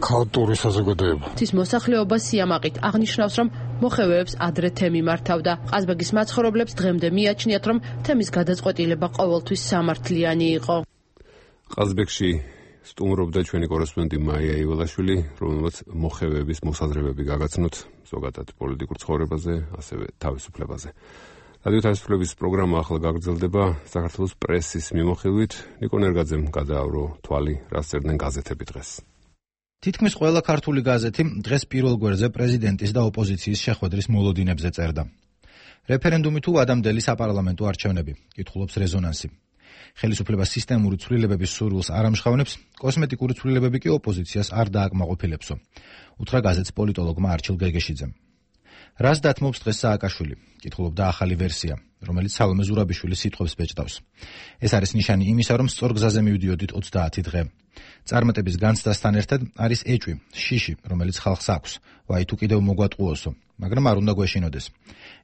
ქაოტური საზოგადოება. თის მოსახლეობა სიამაყით აღნიშნავს, რომ მოხევეებს ადრე თემი მართავდა. ყაზბეგის მაცხოვრებლებს დღემდე მიაჩნიათ, რომ თემის გადაწყვეტილება ყოველთვის სამართლიანი იყო. ყაზბეგში სტუმრობდა ჩვენი კორესპონდენტი მაია იველაშვილი, რომელმაც მოხევეების მოსაზრებები გაგაცნოთ ზოგადად პოლიტიკურ ცხოვრებაზე, ასევე თავისუფლებაზე. რადიო თავისუფლების პროგრამა ახლა გაგრძელდება საქართველოს პრესის მიმოხილვით. ნიკო ნერგაძემ გადაავრო თვალი, რას წერდნენ გაზეთები დღეს. თითქმის ყველა ქართული გაზეთი დღეს პირველ გვერდზე პრეზიდენტის და ოპოზიციის შეხვედრის მოლოდინებზე წერდა. რეფერენდუმი თუ ადამდელი საპარლამენტო არჩევნები, კითხულობს რეზონანსი. ხელისუფლება სისტემური ცვლილებების სურვილს არ ამჟღავნებს, კოსმეტიკური ცვლილებები კი ოპოზიციას არ დააკმაყოფილებსო. უთხრა გაზეთს პოლიტოლოგმა არჩილ გეგეშიძემ. რას დათმობს დღეს სააკაშვილი? კითხულობდა ახალი ვერსია, რომელიც სალომე ზურაბიშვილის სიტყვებს ბეჭდავს. ეს არის ნიშანი იმისა, რომ სწორ გზაზე მივდიოდით ოცდაათი დღე. წარმატების განცდასთან ერთად არის ეჭვი, შიში, რომელიც ხალხს აქვს. ვაი თუ კიდევ მოგვატყუოსო, მაგრამ არ უნდა გვეშინოდეს.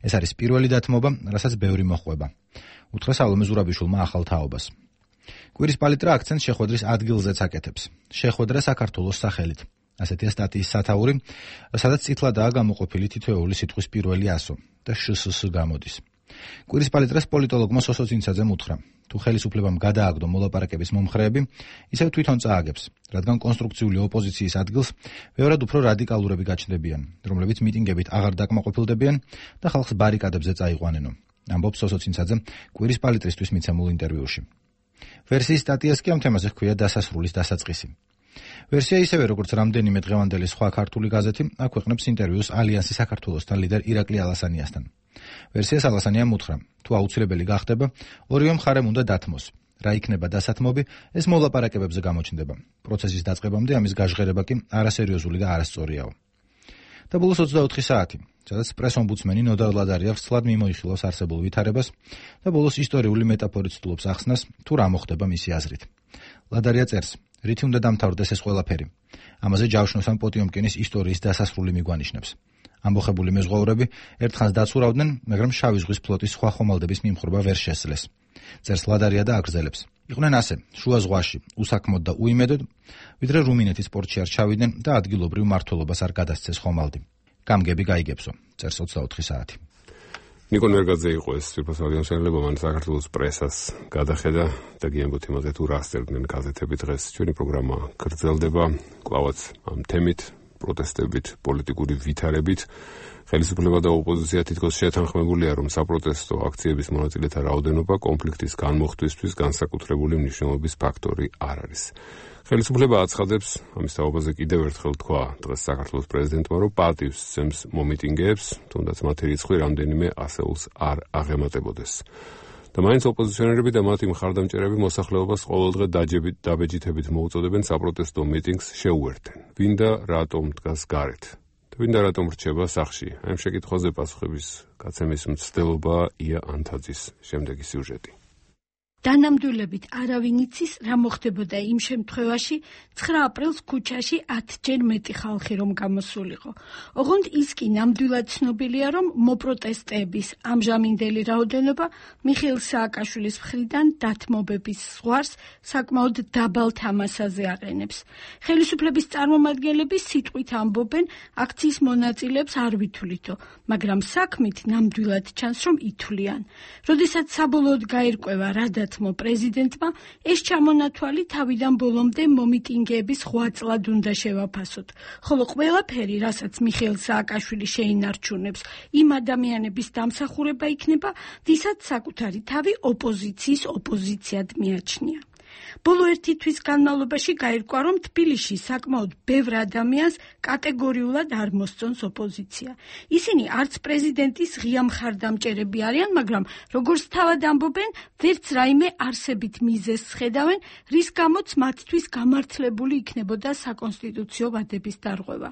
ეს არის პირველი დათმობა, რასაც ბევრი მოხვება. უთხრა სალომე ზურაბიშვილმა ახალ თაობას. კვირის პალიტრა აქცენტს შეხვედრის ადგილზეც აკეთებს. შეხვედრა საქართველოს სახელით. ასეთია სტატიის სათაური, სადაც წითლადაა გამოყოფილი თითოეული სიტყვის პირველი ასო და შსს გამოდის. კვირის პალიტრას პოლიტოლოგმა სოსო წინცაძემ უთხრა, თუ ხელისუფლებამ გადააგდო მოლაპარაკების მომხრეები, ისევ თვითონ წააგებს, რადგან კონსტრუქციული ოპოზიციის ადგილს ბევრად უფრო რადიკალურები გაჩნდებიან, რომლებიც მიტინგებით აღარ დაკმაყოფილდებიან და ხალხს ბარიკადებზე წაიყვანენო. ამბობს სოსო წინცაძე კვირის პალიტრისთვის მიცემულ ინტერვიუში. ვერსიის სტატიას კი ამ თემაზე ჰქვია დასასრულის დასაწყისი. ვერსია ისევე როგორც რამდენიმე დღევანდელი სხვა ქართული გაზეთი აქვეყნებს ინტერვიუს ალიანსის საქართველოსთან ლიდერ ირაკლი ალასანიასთან. ვერსიას ალასანიამ უთხრა, თუ აუცილებელი გახდება, ორივე მხარემ უნდა დათმოს. რა იქნება დასათმობი, ეს მოლაპარაკებებზე გამოჩნდება. პროცესის დაწყებამდე ამის გაჟღერება კი არასერიოზული და არასწორიაო. და ბოლოს ოცდაოთხი საათი, სადაც პრეს-ომბუდსმენი ნოდარ ლადარია ვრცლად მიმოიხილავს არსებულ ვითარებას და ბოლოს ისტორიული მეტაფორით ცდილობს ახსნას, თუ რა მოხდება მისი აზრით. ლადარია წერს, რითი უნდა დამთავრდეს ეს ყველაფერი. ამაზე ჯავშნოს ან პოტიომკინის ისტორიის დასასრული მიგვანიშნებს. ამბოხებული მეზღვაურები ერთხანს დაცურავდნენ, მაგრამ შავი ზღვის ფლოტის სხვა ხომალდების მიმხრობა ვერ შესძლეს. წერს ლადარია და აგრძელებს. იყვნენ ასე, შუა ზღვაში, უსაქმოდ და უიმედოდ, ვიდრე რუმინეთის პორტში არ ჩავიდნენ და ადგილობრივ მმართველობას არ გადასცეს ხომალდი. გამგები გაიგებსო, წერს ოცდაოთხი საათი. ნიკო ნერგაძე იყო ეს სოფლიო ხელმძღვანელობა, მან საქართველოს პრესას გადახედა და გიამბოთ იმაზე თუ რა ასწევდნენ გაზეთები დღეს. ჩვენი პროგრამა გრძელდება კვლავაც ამ თემით, პროტესტებით, პოლიტიკური ვითარებით. ხელისუფლება და ოპოზიცია თითქოს შეთანხმებულია, რომ საპროტესტო აქციების მონაწილეთა რაოდენობა კონფლიქტის განმოხტვისთვის განსაკუთრებული მნიშვნელობის ფაქტორი არ არის. ხელისუფლება აცხადებს, ამის თაობაზე კიდევ ერთხელ თქვა დღეს საქართველოს პრეზიდენტმა, რომ პატივს სცემს მომიტინგეებს, თუნდაც მათი რიცხვი რამდენიმე ასეულს არ აღემატებოდეს. და მაინც ოპოზიციონერები და მათი მხარდამჭერები მოსახლეობას ყოველდღე დაჯებით დაბეჯითებით მოუწოდებენ საპროტესტო მიტინგს შეუერთენ. ვინ და რატომ დგას გარეთ? და ვინ და რატომ რჩება სახლში? აი ამ შეკითხვაზე პასუხების გაცემის მცდელობა ია ანთაძის შემდეგი სიუჟეტი. დანამდვილებით არავინ იცის რა მოხდებოდა იმ შემთხვევაში ცხრა აპრილს ქუჩაში ათჯერ მეტი ხალხი რომ გამოსულიყო. ოღონდ ის კი ნამდვილად ცნობილია, რომ მოპროტესტების ამჟამინდელი რაოდენობა მიხეილ სააკაშვილის მხრიდან დათმობების ზღვარს საკმაოდ დაბალ თამასაზე აყენებს. ხელისუფლების წარმომადგენლები სიტყვით ამბობენ, აქციის მონაწილეებს არ ვითვლითო, მაგრამ საქმით ნამდვილად ჩანს, რომ ითვლიან. როდესაც საბოლოოდ გაირკვევა რა დათმო პრეზიდენტმა, ეს ჩამონათვალი თავიდან ბოლომდე მომიტინგეების ღვაწლად უნდა შევაფასოთ, ხოლო ყველაფერი, რასაც მიხეილ სააკაშვილი შეინარჩუნებს, იმ ადამიანების დამსახურება იქნება, ვისაც საკუთარი თავი ოპოზიციის ოპოზიციად მიაჩნია. ბოლო ერთი თვის განმავლობაში გაირკვა, რომ თბილისში საკმაოდ ბევრ ადამიანს კატეგორიულად არ მოსწონს ოპოზიცია. ისინი არც პრეზიდენტის ღია მხარდამჭერები არიან, მაგრამ როგორც თავად ამბობენ, ვერც რაიმე არსებით მიზეზს ხედავენ, რის გამოც მათთვის გამართლებული იქნებოდა საკონსტიტუციო ვადების დარღვევა.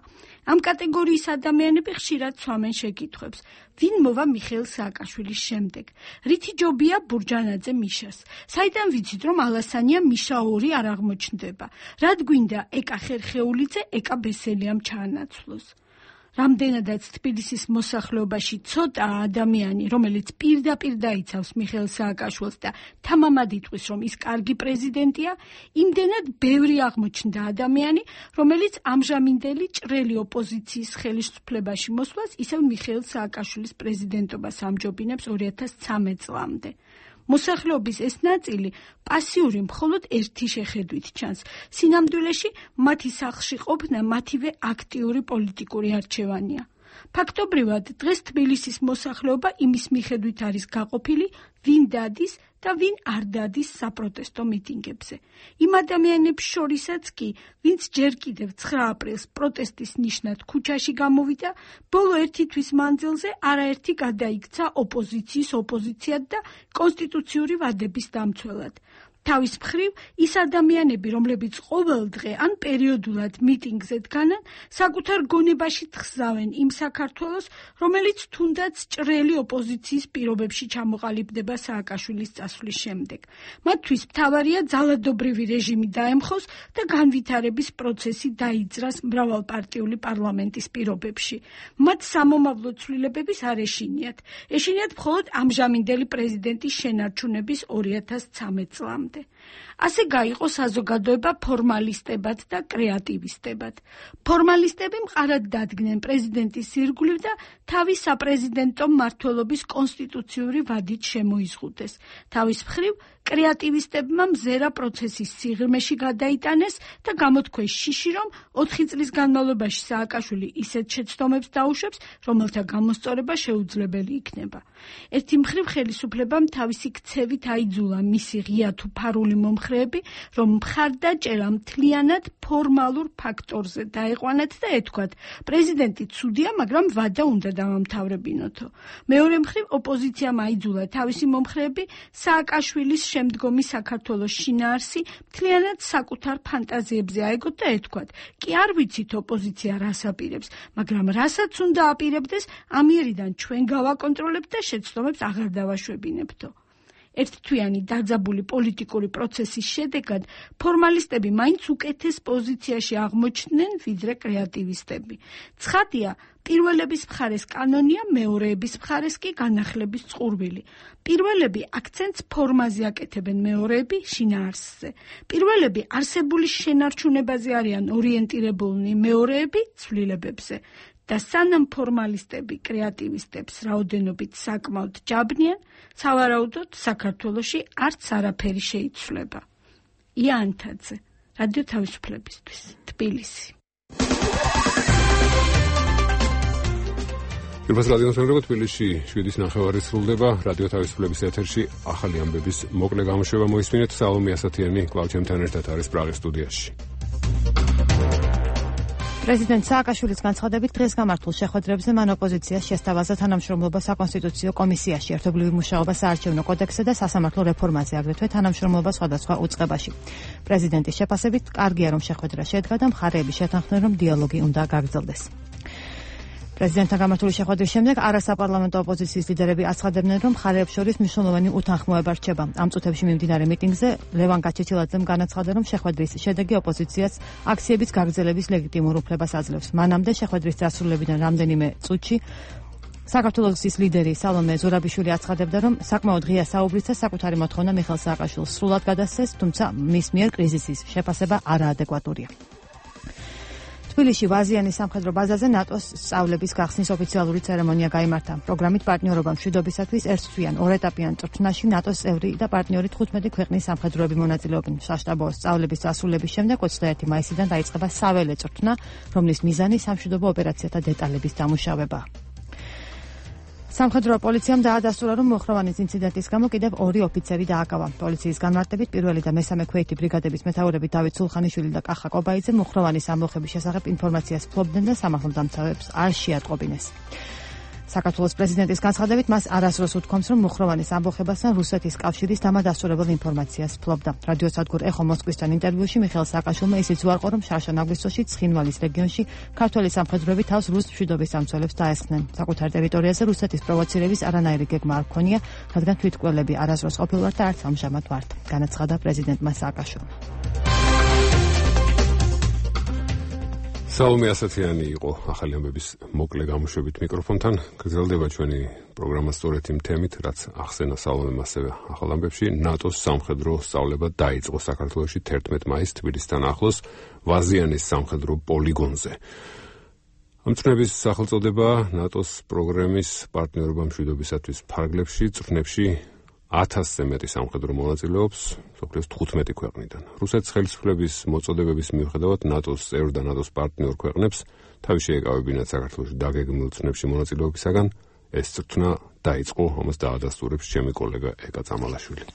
ამ კატეგორიის ადამიანები ხშირად სვამენ შეკითხვებს. ვინ მოვა მიხეილ სააკაშვილის შემდეგ? რითი ჯობია ბურჯანაძე მიშას? საიდან ვიცით, რომ ალასანია მიშა ორი არ აღმოჩნდება? რად გვინდა ეკა ხერხეულიძე ეკა ბესელიამ ჩაანაცვლოს? რამდენადაც თბილისის მოსახლეობაში ცოტა ადამიანი, რომელიც პირდაპირ დაიცავს მიხეილ სააკაშვილს და თამამად იტყვის, რომ ის კარგი პრეზიდენტია, იმდენად ბევრი აღმოჩნდა ადამიანი, რომელიც ამჟამინდელი ჭრელი ოპოზიციის ხელისუფლებაში მოსვლას ისევ მიხეილ სააკაშვილის პრეზიდენტობას ამჯობინებს ორი ათას ცხრამეტ წლამდე. მოსახლეობის ეს ნაწილი პასიური მხოლოდ ერთი შეხედვით ჩანს. სინამდვილეში მათი სახლში ყოფნა მათივე აქტიური პოლიტიკური არჩევანია. ფაქტობრივად, დღეს თბილისის მოსახლეობა იმის მიხედვით არის გაყოფილი, ვინ დადის და ვინ არ დადის საპროტესტო მიტინგებზე. იმ ადამიანებს შორისაც კი, ვინც ჯერ კიდევ ცხრა აპრილს პროტესტის ნიშნად ქუჩაში გამოვიდა, ბოლო ერთი თვის მანძილზე არაერთი გადაიქცა ოპოზიციის ოპოზიციად და კონსტიტუციური ვადების დამცველად. თავის მხრივ, ის ადამიანები, რომლებიც ყოველ დღე ან პერიოდულად მიტინგზე დგანან, საკუთარ გონებაში თხზავენ იმ საქართველოს, რომელიც თუნდაც ჭრელი ოპოზიციის პირობებში ჩამოყალიბდება სააკაშვილის წასვლის შემდეგ. მათთვის მთავარია ძალადობრივი რეჟიმი დაემხოს და განვითარების პროცესი დაიძრას მრავალპარტიული პარლამენტის პირობებში. მათ სამომავლო ცვლილებების არ ეშინიათ. ეშინიათ მხოლოდ ამჟამინდელი პრეზიდენტის შენარჩუნების ორი ათას ცხრამეტ წლამდე. ასე გაიყო საზოგადოება ფორმალისტებად და კრეატივისტებად. ფორმალისტები მყარად დადგნენ პრეზიდენტის ირგვლივ და თავის საპრეზიდენტო მმართველობის კონსტიტუციური ვადით შემოიზღუდეს. თავის მხრივ, კრეატივისტებმა მზერა პროცესის სიღრმეში გადაიტანეს და გამოთქვეს შიში, რომ ოთხი წლის განმავლობაში სააკაშვილი ისეთ შეცდომებს დაუშვებს, რომელთა გამოსწორება შეუძლებელი იქნება. ერთი მხრივ ხელისუფლებამ თავისი ქცევით აიძულა მისი ღია თუ ფარული მომხრეები, რომ მხარდაჭერა მთლიანად ფორმალურ ფაქტორზე დაეყვანათ და ეთქვათ, პრეზიდენტი ცუდია, მაგრამ ვადა უნდა დავამთავრებინოთო. მეორე მხრივ ოპოზიციამ აიძულა თავისი მომხრეები სააკაშვილის შემდგომი საქართველოს შინაარსი მთლიანად საკუთარ ფანტაზიებზე აეგოთ და ეთქვათ, კი არ ვიცით ოპოზიცია რას აპირებს, მაგრამ რასაც უნდა აპირებდეს, ამიერიდან ჩვენ გავაკონტროლებთ და შეცდომებს აღარ დავაშვებინებთო. ერთთვიანი დაძაბული პოლიტიკური პროცესის შედეგად ფორმალისტები მაინც უკეთეს პოზიციაში აღმოჩნდნენ ვიდრე კრეატივისტები. ცხადია, პირველების მხარეს კანონია, მეორეების მხარეს კი განახლების წყურვილი. პირველები აქცენტს ფორმაზე აკეთებენ, მეორეები შინაარსზე. პირველები არსებული შენარჩუნებაზე არიან ორიენტირებულნი, მეორეები ცვლილებებზე. და სანამ ფორმალისტები კრეატივისტებს რაოდენობით საკმაოდ ჯაბნიან, სავარაუდოდ საქართველოში არც არაფერი შეიცვლება. ია ანთაძე, რადიო თავისუფლებისთვის, თბილისი. პირველ რადიოსმენელობა თბილისში შვიდის ნახევარი სრულდება. რადიო თავისუფლების ეთერში ახალი ამბების მოკლე გამოშვება მოისმინეთ. სალომე ასათიანი კვლავ ჩემთან ერთად არის პრაღის სტუდიაში. პრეზიდენტ სააკაშვილის განცხადებით დღეს გამართულ შეხვედრებზე მან ოპოზიციას შესთავაზა თანამშრომლობა საკონსტიტუციო კომისიაში, ერთობლივი მუშაობა საარჩევნო კოდექსზე და სასამართლო რეფორმაზე, აგრეთვე თანამშრომლობა სხვადასხვა უწყებაში. პრეზიდენტის შეფასებით, კარგია რომ შეხვედრა შედგა და მხარეები შეთანხმდნენ რომ დიალოგი უნდა გაგრძელდეს. პრეზიდენტთან გამართული შეხვედრის შემდეგ არასაპარლამენტო ოპოზიციის ლიდერები აცხადებდნენ, რომ მხარეებს შორის მნიშვნელოვანი უთანხმოება რჩება. ამ წუთებში მიმდინარე მიტინგზე ლევან გაჩეჩილაძემ განაცხადა, რომ შეხვედრის შედეგი ოპოზიციას აქციების გაგრძელების ლეგიტიმურ უფლებას აძლევს. მანამდე შეხვედრის დასრულებიდან რამდენიმე წუთში საქართველოს ლიდერი სალომე ზურაბიშვილი აცხადებდა, რომ საკმაოდ ღია საუბრისა საკუთარი მოთხოვნა მიხეილ სააკაშვილს სრულად გადასცეს, თუმცა მის მიერ კრიზისის შეფასება არაადეკვატურია. თბილისში ვაზიანის სამხედრო ბაზაზე ნატოს სწავლების გახსნის ოფიციალური ცერემონია გაიმართა. პროგრამით პარტნიორობა მშვიდობისათვის ერთთვიან ორეტაპიან წვრთნაში ნატოს წევრი და პარტნიორი თხუთმეტი ქვეყნის სამხედროები მონაწილეობენ. საშტაბო სწავლების დასრულების შემდეგ ოცდაერთი მაისიდან დაიწყება საველე წვრთნა, რომლის მიზანი სამშვიდობო ოპერაციათა დეტალების დამუშავება. სამხედრო პოლიციამ დაადასტურა, რომ მოხროვანის ინციდენტის გამო კიდევ ორი ოფიცერი დააკავა. პოლიციის განმარტებით პირველი და მესამე ქვეითი ბრიგადების მეთაურები დავით სულხანიშვილი და კახა კობაიძე მოხროვანის ამბოხების შესახებ ინფორმაციას ფლობდნენ და სამართალდამცავებს არ შეატყობინეს. საქართველოს პრეზიდენტის განცხადებით მას არასდროს უთქვამს, რომ მოხროვანის ამბოხებასთან რუსეთის კავშირის დამადასტურებელ ინფორმაციას ფლობდა. რადიოსადგურ ეხო მოსკვისთან ინტერვიუში მიხეილ სააკაშვილმა ისიც უარყო, რომ შარშან აგვისტოში ცხინვალის რეგიონში ქართველი სამხედროები თავს რუს მშვიდობის სამცველებს დაესხნენ. საკუთარ ტერიტორიაზე რუსეთის პროვოცირების არანაირი გეგმა არ ჰქონია, რადგან თვითკვლელები არასდროს ყოფილვართ და არც ამჟამად ვართ, განაცხადა პრეზიდენტმა სააკაშვილმა. სალომე ასათიანი იყო ახალი ამბების მოკლე გამოშვებით მიკროფონთან. გრძელდება ჩვენი პროგრამა სწორედ იმ თემით, რაც ახსენა სალომემ ასევე ახალ ამბებში. ნატოს სამხედრო სწავლება დაიწყო საქართველოში თერთმეტ მაისს თბილისთან ახლოს ვაზიანის სამხედრო პოლიგონზე. ამ წვნების სახელწოდება ნატოს პროგრამის პარტნიორობა მშვიდობისათვის ფარგლებში, წვრთნებში ათასზე მეტი სამხედრო მონაწილეობს მსოფლიოს თხუთმეტი ქვეყნიდან. რუსეთის ხელისუფლების მოწოდებების მიუხედავად ნატოს წევრ და ნატოს პარტნიორ ქვეყნებს თავი შეეკავებინათ საქართველოში დაგეგმილ წვნებში მონაწილეობისაგან. ეს წვრთნა დაიწყო, ამას დაადასტურებს ჩემი კოლეგა ეკა წამალაშვილი.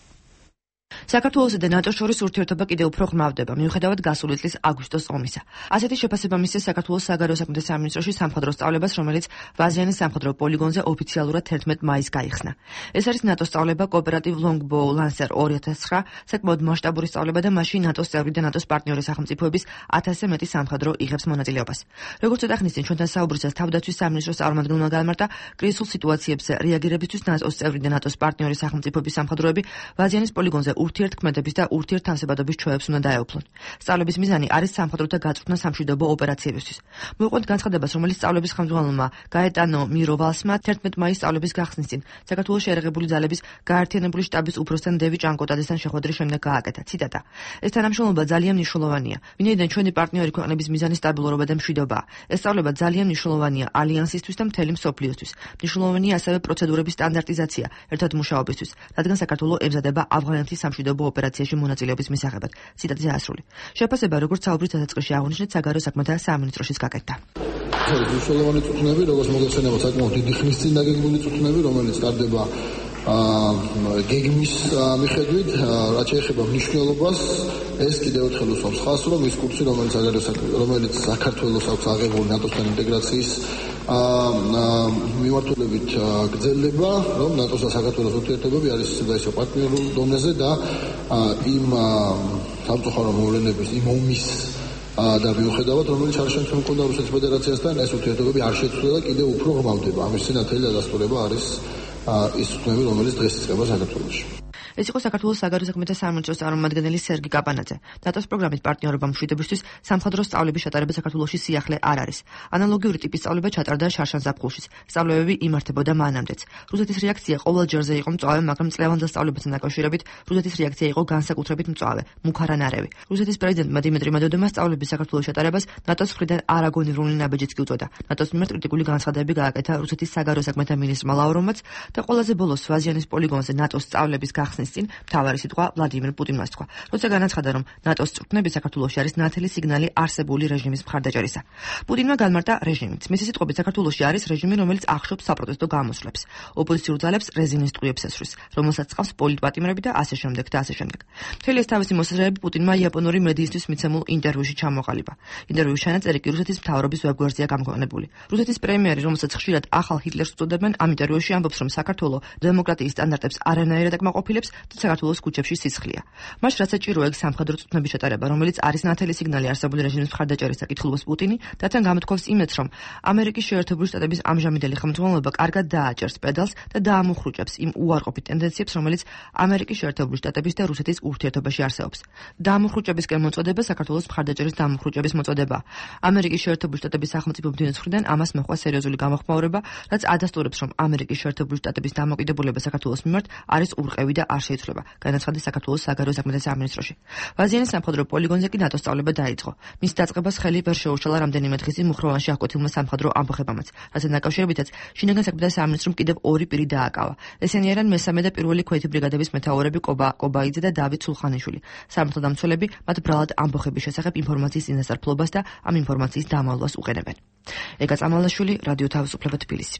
საქართველოსა და ნატოს შორის ურთიერთობა კიდევ უფრო ღრმავდება, მიუხედავად გასული წლის აგვისტოს ომისა. ასეთი შეფასება მისცეს საქართველოს საგარეო საქმეთა სამინისტროში სამხედრო სწავლებას, რომელიც ვაზიანის სამხედრო პოლიგონზე ოფიციალურად თერთმეტ მაისს გაიხსნა. ეს არის ნატოს სწავლება კოოპერატივ ლონგბოუ ლანსერ ორი ათას ცხრა, საკმაოდ მასშტაბური სწავლება და მასში ნატოს წევრი და ნატოს პარტნიორი სახელმწიფოების ათასზე მეტი სამხედრო იღებს მონაწილეობას. როგორც ოდახნისწინ ჩვენთან საუბრისას თავდაცვის სამინისტროს წარმომადგენელმა განმარტა, კრიზისულ სიტუაციებზე რეაგირებისთვის ნატოს წევრი და ნატოს პარტნიორი სახელმწიფოების სამხედროები ვაზიანის პოლიგონზე ურთიერთქმედების და ურთიერთთავსებადობის ჩვევებს უნდა დაეუფლონ. სწავლების მიზანი არის სამხედროთა გაწვრთნა სამშვიდობო ოპერაციებისთვის. მოუყვებით განცხადებას, რომელიც სწავლების ხელმძღვანელმა გაეტანო მიროვალსმა თერთმეტ მაისს სწავლების გახსნის წინ საქართველოს შეერაღებული ძალების გაერთიანებული შტაბის უფროსთან დევი ჭანკოტაძესთან შეხვედრის შემდეგ გააკეთა. ციტატა: ეს თანამშრომლობა ძალიან მნიშვნელოვანია, ვინაიდან ჩვენი პარტნიორი ქვეყნების მიზანი სტაბილურობა და მშვიდობაა. ეს სწავლება ძალიან მნიშვნელოვანია ალიანსისთვის და მთელი მსოფლიოსთვის. მნიშვნელოვანია ასევე პროცედურების სტანდარტიზაცია ერთად მუშაობისთვის, რადგან საქართველო ემზადება ავღანეთის სამშვიდობო ოპერაციაში მონაწილეობის მისაღებად. ციტატის ასრული. შეფასება, როგორც საუბრის დასაწყისში აღნიშნეთ, საგარეო საქმეთა სამინისტროშიც გაკეთდა. მნიშვნელოვანი წვრთნები, როგორც მოგეხსენება, საკმაოდ დიდი ხნის წინ დაგეგმილი წვრთნები, რომელიც ტარდება გეგმის მიხედვით, რაც შეეხება მნიშვნელობას, ეს კიდევ ერთხელ უსვამს ხაზს, რომ ის კურსი, რომელიც საგარეო რომელიც საქართველოს აქვს აღებული ნატოსთან ინტეგრაციის მიმართულებით გრძელდება, რომ ნატოს და საქართველოს ურთიერთობები არის ისე და ისე პარტნიორულ დონეზე და იმ სამწუხარო მოვლენების, იმ ომის და მიუხედავად, რომელიც არ შემდგომ მქონდა რუსეთის ფედერაციასთან, ეს ურთიერთობები არ შეცვლა და კიდევ უფრო ღრმავდება. ამის წინათელი დადასტურება არის ის წვნები, რომელიც დღეს იწყება საქართველოში. ეს იყო საქართველოს საგარეო საქმეთა სამინისტროს წარმომადგენელი სერგი კაპანაძე. ნატოს პროგრამით პარტნიორობა მშვიდობისთვის სამხატვრო სწავლების ჩატარება საქართველოში სიახლე არ არის. ანალოგიური ტიპის სწავლება ჩატარდა შარშან-ზაფხულშიც. სწავლებები იმართებოდა მანამდეც. რუსეთის რეაქცია ყოველ ჯერზე იყო მწვავე, მაგრამ წლევანდელ სწავლებასთან დაკავშირებით რუსეთის რეაქცია იყო განსაკუთრებით მწვავე, მუქარანარევი. რუსეთის პრეზიდენტმა დიმიტრი მედვედევმა სწავლების საქართველოს ჩატარებას ნატოს მხრიდან არაგონივრული ნაბიჯიც კი უწოდა. ნატოს მიმართ კრიტიკული განცხადებები გააკეთა რუსეთის საგარეო საქმეთა მინისტრმა ლავროვმაც და ყველაზე ბოლოს ვაზიანის პოლიგონზე ნატოს სწავლების გახსნის წინ მთავარი სიტყვა ვლადიმირ პუტინმა თქვა, როცა განაცხადა, რომ ნატოს წვრთნები საქართველოში არის ნათელი სიგნალი არსებული რეჟიმის მხარდაჭერისა. პუტინმა განმარტა რეჟიმიც. მისი სიტყვებით საქართველოში არის რეჟიმი, რომელიც ახშობს საპროტესტო გამოსვლებს, ოპოზიციურ ძალებს რეზინის ტყუებს ესვრის, რომელსაც წყავს პოლიტპატიმრები და ასე შემდეგ და ასე შემდეგ. მთელი ეს თავისი მოსაზრებები პუტინმა იაპონური მედიისთვის მიცემულ ინტერვიუში ჩამოყალიბა. ინტერვიუს ჩანაწერი კი რუსეთის მთავრობის ვებგვერდზეა გამოქვეყნებული. რუსეთის პრემიერი, რომელსაც ხშირად ახალ ჰიტლერს უწოდებენ, ამ ინტერვიუში ამბობს, რომ საქართველო დემოკრატიის სტანდარტებს არანაირად აკმაყოფილებს და საქართველოს ქუჩებში სისხლია. მას რაც საჭირო ეგ სამხედრო წვრთნების ჩატარება, რომელიც არის ნათელი სიგნალი არსებული რეჟიმის მხარდაჭერისა, კითხულობს პუტინი და თან გამოთქვამს იმედს, რომ ამერიკის შეერთებული შტატების ამჟამინდელი ხელმძღვანელობა კარგად დააჭერს პედალს და დაამუხრუჭებს იმ უარყოფით ტენდენციებს, რომელიც ამერიკის შეერთებული შტატების და რუსეთის ურთიერთობაში არსებობს. დაამუხრუჭებისკენ მოწოდება საქართველოს მხარდაჭერის დაამუხრუჭების მოწოდება. ამერიკის შეერთებული შტატების სახელმწიფო ბრძოლის მხრიდან ამას მოჰყვა სერიოზული გამოხმაურება, რაც ადასტურებს, რომ ამერიკის შეერთებული შტატების დამოკიდებულება საქართველოს მიმართ არის ურყევი და არ შეიცვლება, განაცხადა საქართველოს საგარეო საქმეთა სამინისტროში. ვაზიანის სამხედრო პოლიგონზე კი ნატოს სწავლება დაიწყო. მის დაწყებას ხელი ვერ შეუშალა რამდენიმე დღის წინ მუხროვანში აღკვეთილმა სამხედრო ამბოხებამაც, რასაც დაკავშირებითაც შინაგან საქმეთა სამინისტრომ კიდევ ორი პირი დააკავა. ესენი არიან მესამე და პირველი ქვეითი ბრიგადების მეთაურები კობა კობაიძე და დავით სულხანიშვილი. სამართალ დამცველები მათ ბრალად ამბოხების შესახებ ინფორმაციის წინასწარ და ამ ინფორმაციის დამალვას უყენებენ. ეგა წამალაშვილი, რადიო თავისუფლება თბილისი.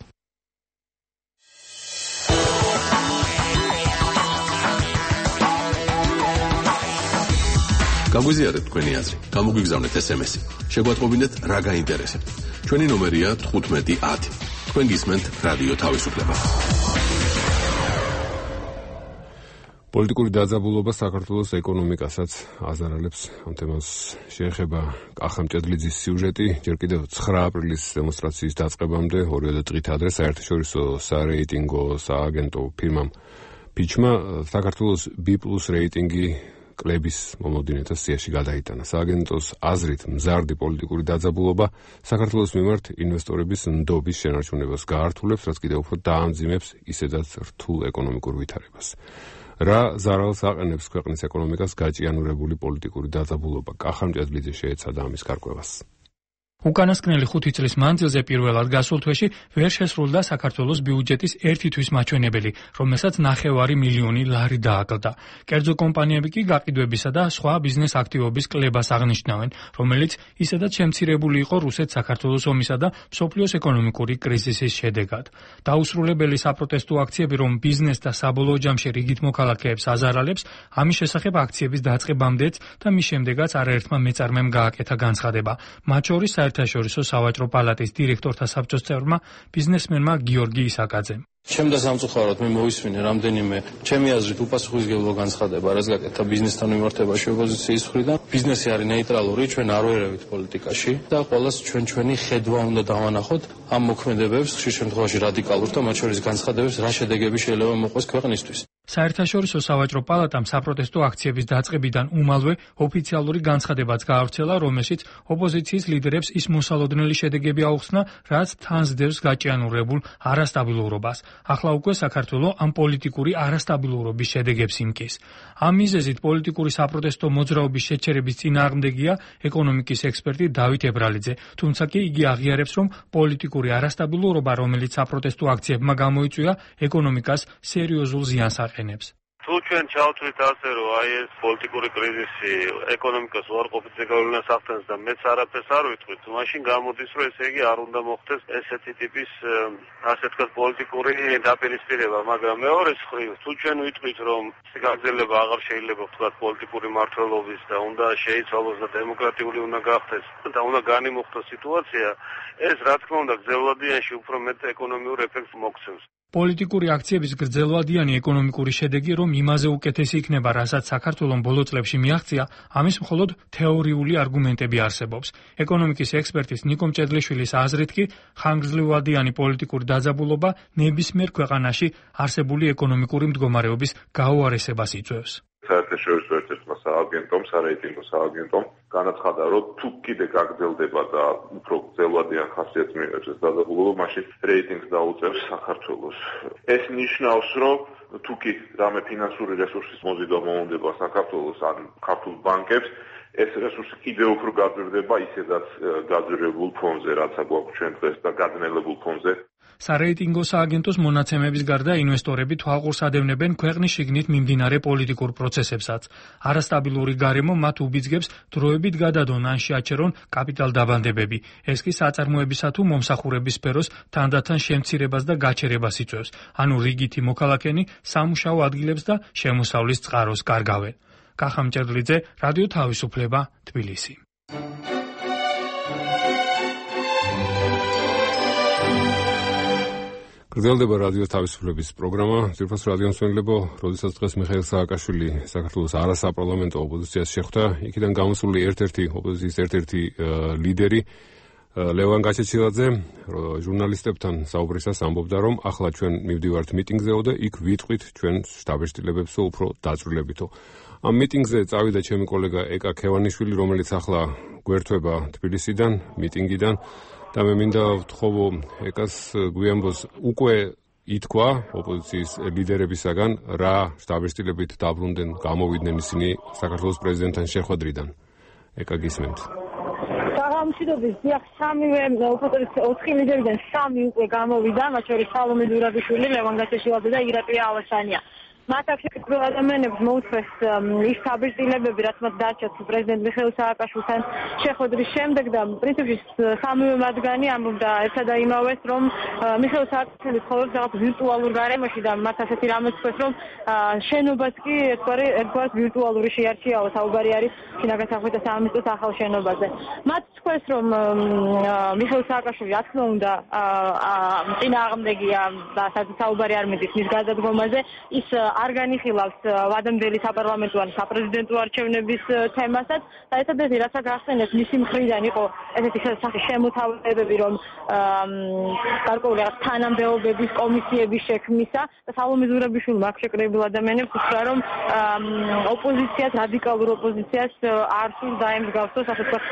გაგვიზიარეთ თქვენი აზრი, გამოგვიგზავნეთ ესემესი. შეგვატყობინეთ რა გაინტერესებთ. ჩვენი ნომერია თხუთმეტი ათი. თქვენ გისმენთ რადიო თავისუფლება. პოლიტიკური დაძაბულობა საქართველოს ეკონომიკასაც აზარალებს. ამ თემას შეეხება კახა მჭედლიძის სიუჟეტი. ჯერ კიდევ ცხრა აპრილის დემონსტრაციის დაწყებამდე ორივე დღით ადრე საერთაშორისო სარეიტინგო სააგენტო ფირმამ ფიჩმა საქართველოს B+ რეიტინგი კლების მომოდინეთა სიაში გადაიტანა. სააგენტოს აზრით მზარდი პოლიტიკური დაძაბულობა საქართველოს მიმართ ინვესტორების ნდობის შენარჩუნებას გაართულებს, რაც კიდევ უფრო დაამძიმებს ისედაც რთულ ეკონომიკურ ვითარებას. რა ზარალს აყენებს ქვეყნის ეკონომიკას გაჭიანურებული პოლიტიკური დაძაბულობა? კახა მჭედლიძე შეეცადა ამის გარკვევას. უკანასკნელი ხუთი წლის მანძილზე პირველად გასულ თვეში ვერ შესრულდა საქართველოს ბიუჯეტის ერთი თვის მაჩვენებელი, რომელსაც ნახევარი მილიონი ლარი დააკლდა. კერძო კომპანიები კი გაყიდვებისა და სხვა ბიზნეს აქტივობის კლებას აღნიშნავენ, რომელიც ისედაც შემცირებული იყო რუსეთ-საქართველოს ომისა და მსოფლიოს ეკონომიკური კრიზისის შედეგად. დაუსრულებელი საპროტესტო აქციები, რომ ბიზნეს და საბოლოო ჯამში რიგით მოქალაქეებს აზარალებს, ამის შესახებ აქციების დაწყებამდეც და მის შემდეგაც არაერთმა მეწარმემ გააკეთა განცხადება. მათ შორის საერთაშორისო სავაჭრო პალატის დირექტორთა საბჭოს წევრმა ბიზნესმენმა გიორგი ისაკაძემ. ჩემდა სამწუხაროდ მე მოვისმინე რამდენიმე ჩემი აზრით უპასუხისმგებლო განცხადება, რაც გაკეთა ბიზნესთან მიმართებაში ოპოზიციის მხრიდან. ბიზნესი არის ნეიტრალური, ჩვენ არ ვერევით პოლიტიკაში და ყოველას ჩვენ ჩვენი ხედვა უნდა დავანახოთ ამ მოქმედებებს, ხშირ შემთხვევაში რადიკალურ და მათ შორის განცხადებებს, რა შედეგები შეიძლება მოყვეს ქვეყნისთვის. საერთაშორისო სავაჭრო პალატამ საპროტესტო აქციების დაწყებიდან უმალვე ოფიციალური განცხადებაც გაავრცელა, რომელშიც ოპოზიციის ლიდერებს ის მოსალოდნელი შედეგები აუხსნა, რაც თან სდევს გაჭიანურებულ არასტაბილურობას. ახლა უკვე საქართველო ამ პოლიტიკური არასტაბილურობის შედეგებს იმკის. ამ მიზეზით პოლიტიკური საპროტესტო მოძრაობის შეჩერების წინააღმდეგია ეკონომიკის ექსპერტი დავით ებრალიძე, თუმცა კი იგი აღიარებს, რომ პოლიტიკური არასტაბილურობა, რომელიც საპროტესტო აქციებმა გამოიწვია, ეკონომიკას სერიოზულ ზიანს აყენებს. თუ ჩვენ ჩავთვლით ასე, რომ აი ეს პოლიტიკური კრიზისი ეკონომიკას უარყოფითზე გავლენას ახდენს და მეც არაფერს არ ვიტყვით, მაშინ გამოდის, რომ ესე იგი არ უნდა მოხდეს ესეთი ტიპის ასე თქვა პოლიტიკური დაპირისპირება, მაგრამ მეორეს მხრივ, თუ ჩვენ ვიტყვით, რომ გაგრძელება აღარ შეიძლება ვთქვა პოლიტიკური მმართველობის და უნდა შეიცვალოს და დემოკრატიული უნდა გახდეს და უნდა განიმუხტოს სიტუაცია, ეს რა თქმა უნდა გრძელვადიანში უფრო მეტ ეკონომიურ ეფექტს მოგცემს. პოლიტიკური აქციების გრძელვადიანი ეკონომიკური შედეგი რომ იმაზე უკეთესი იქნება, რასაც საქართველოს ბოლო წლებში მიაღწია, ამის მხოლოდ თეორიული არგუმენტები არსებობს. ეკონომიკის ექსპერტის ნიკო მჭედლიშვილის აზრით კი ხანგრძლივადიანი პოლიტიკური დაძაბულობა ნებისმიერ ქვეყანაში არსებული ეკონომიკური მდგომარეობის გაუარესებას იწვევს. საერთაშორისო ერთ-ერთმა სააგენტომ, სარეიტინგო სააგენტომ განაცხადა, რომ თუ კიდე გაგრძელდება და უფრო გრძელვადიან ხასიათს მიიღებს ეს დაძაბულობა, მაშინ რეიტინგს დაუწევს საქართველოს. ეს ნიშნავს, რომ თუ კი რამე ფინანსური რესურსის მოზიდვა მოუნდება საქართველოს ან ქართულ ბანკებს, ეს რესურსი კიდევ უფრო გაძვირდება ისედაც გაძვირებულ ფონზე, რაც აგვაქვს ჩვენ დღეს და გადნელებულ ფონზე. სარეიტინგო სააგენტოს მონაცემების გარდა ინვესტორები თვალყურს ადევნებენ ქვეყნის შიგნით მიმდინარე პოლიტიკურ პროცესებსაც. არასტაბილური გარემო მათ უბიძგებს დროებით გადადონ ან შეაჩერონ კაპიტალ დაბანდებები. ეს კი საწარმოებისა თუ მომსახურების სფეროს თანდათან შემცირებას და გაჩერებას იწვევს. ანუ რიგითი მოქალაქენი სამუშაო ადგილებს და შემოსავლის წყაროს კარგავენ. კახა მჭედლიძე, რადიო თავისუფლება, თბილისი. გრძელდება რადიო თავისუფლების პროგრამა. ძირფას რადიო მსმენელებო, როდესაც დღეს მიხეილ სააკაშვილი საქართველოს არასაპარლამენტო ოპოზიციას შეხვდა, იქიდან გამოსული ერთ-ერთი ოპოზიციის ერთ-ერთი ლიდერი ლევან გაჩეჩილაძე ჟურნალისტებთან საუბრისას ამბობდა, რომ ახლა ჩვენ მივდივართ მიტინგზეო და იქ ვიტყვით ჩვენ შტაბ-შტილებებსო უფრო დაწვრილებითო. ამ მიტინგზე წავიდა ჩემი კოლეგა ეკა ქევანიშვილი, რომელიც ახლა გვერდება თბილისიდან, მიტინგიდან. და მე მინდა ვთხოვო ეკას გვიანბოს უკვე ითქვა ოპოზიციის ლიდერებისაგან რა შტაბ-შტილებით დაბრუნდნენ, გამოვიდნენ ისინი საქართველოს პრეზიდენტთან შეხვედრიდან. ეკა გისმენთ. გამშვიდობის დიახ, სამივე ოპოზიციის ოთხი ლიდერიდან სამი უკვე გამოვიდა, მათ შორის სალომე ზურაბიშვილი, ლევან გაჩეჩილაძე და ირაკლი ალაშანია. მათ აქ შეგვიძლია ადამიანებს მოუწეს ის შტაბ-შტილებები, რაც მათ დარჩათ პრეზიდენტ მიხეილ სააკაშვილთან შეხვედრის შემდეგ და პრინციპში სამივე მათგანი ამბობდა ერთსა და იმავეს, რომ მიხეილ სააკაშვილი ცხოვრობს რაღაც ვირტუალურ გარემოში და მათ ასეთი რამე თქვეს, რომ შენობას კი ერთგვარი ერთგვარ ვირტუალური შეარჩიაო, საუბარი არის შინაგან საქმეთა სამინისტროს ახალ შენობაზე. მათ თქვეს, რომ მიხეილ სააკაშვილი რა თქმა უნდა წინააღმდეგია და საუბარი არ მიდის მის გადადგომაზე, ის არ განიხილავს ვადამდელი საპარლამენტო ან საპრეზიდენტო არჩევნების თემასაც და ერთადერთი რაც ახსენებს მისი მხრიდან იყო ესეთი სახის შემოთავაზებები, რომ გარკვეული რაღაც თანამდებობების კომისიების შექმნისა და სალომე ზურაბიშვილმა აქ შეკრებილ ადამიანებს უთხრა, რომ ოპოზიციას, რადიკალურ ოპოზიციას არ სურს დაემსგავსოს ასე ვთქვათ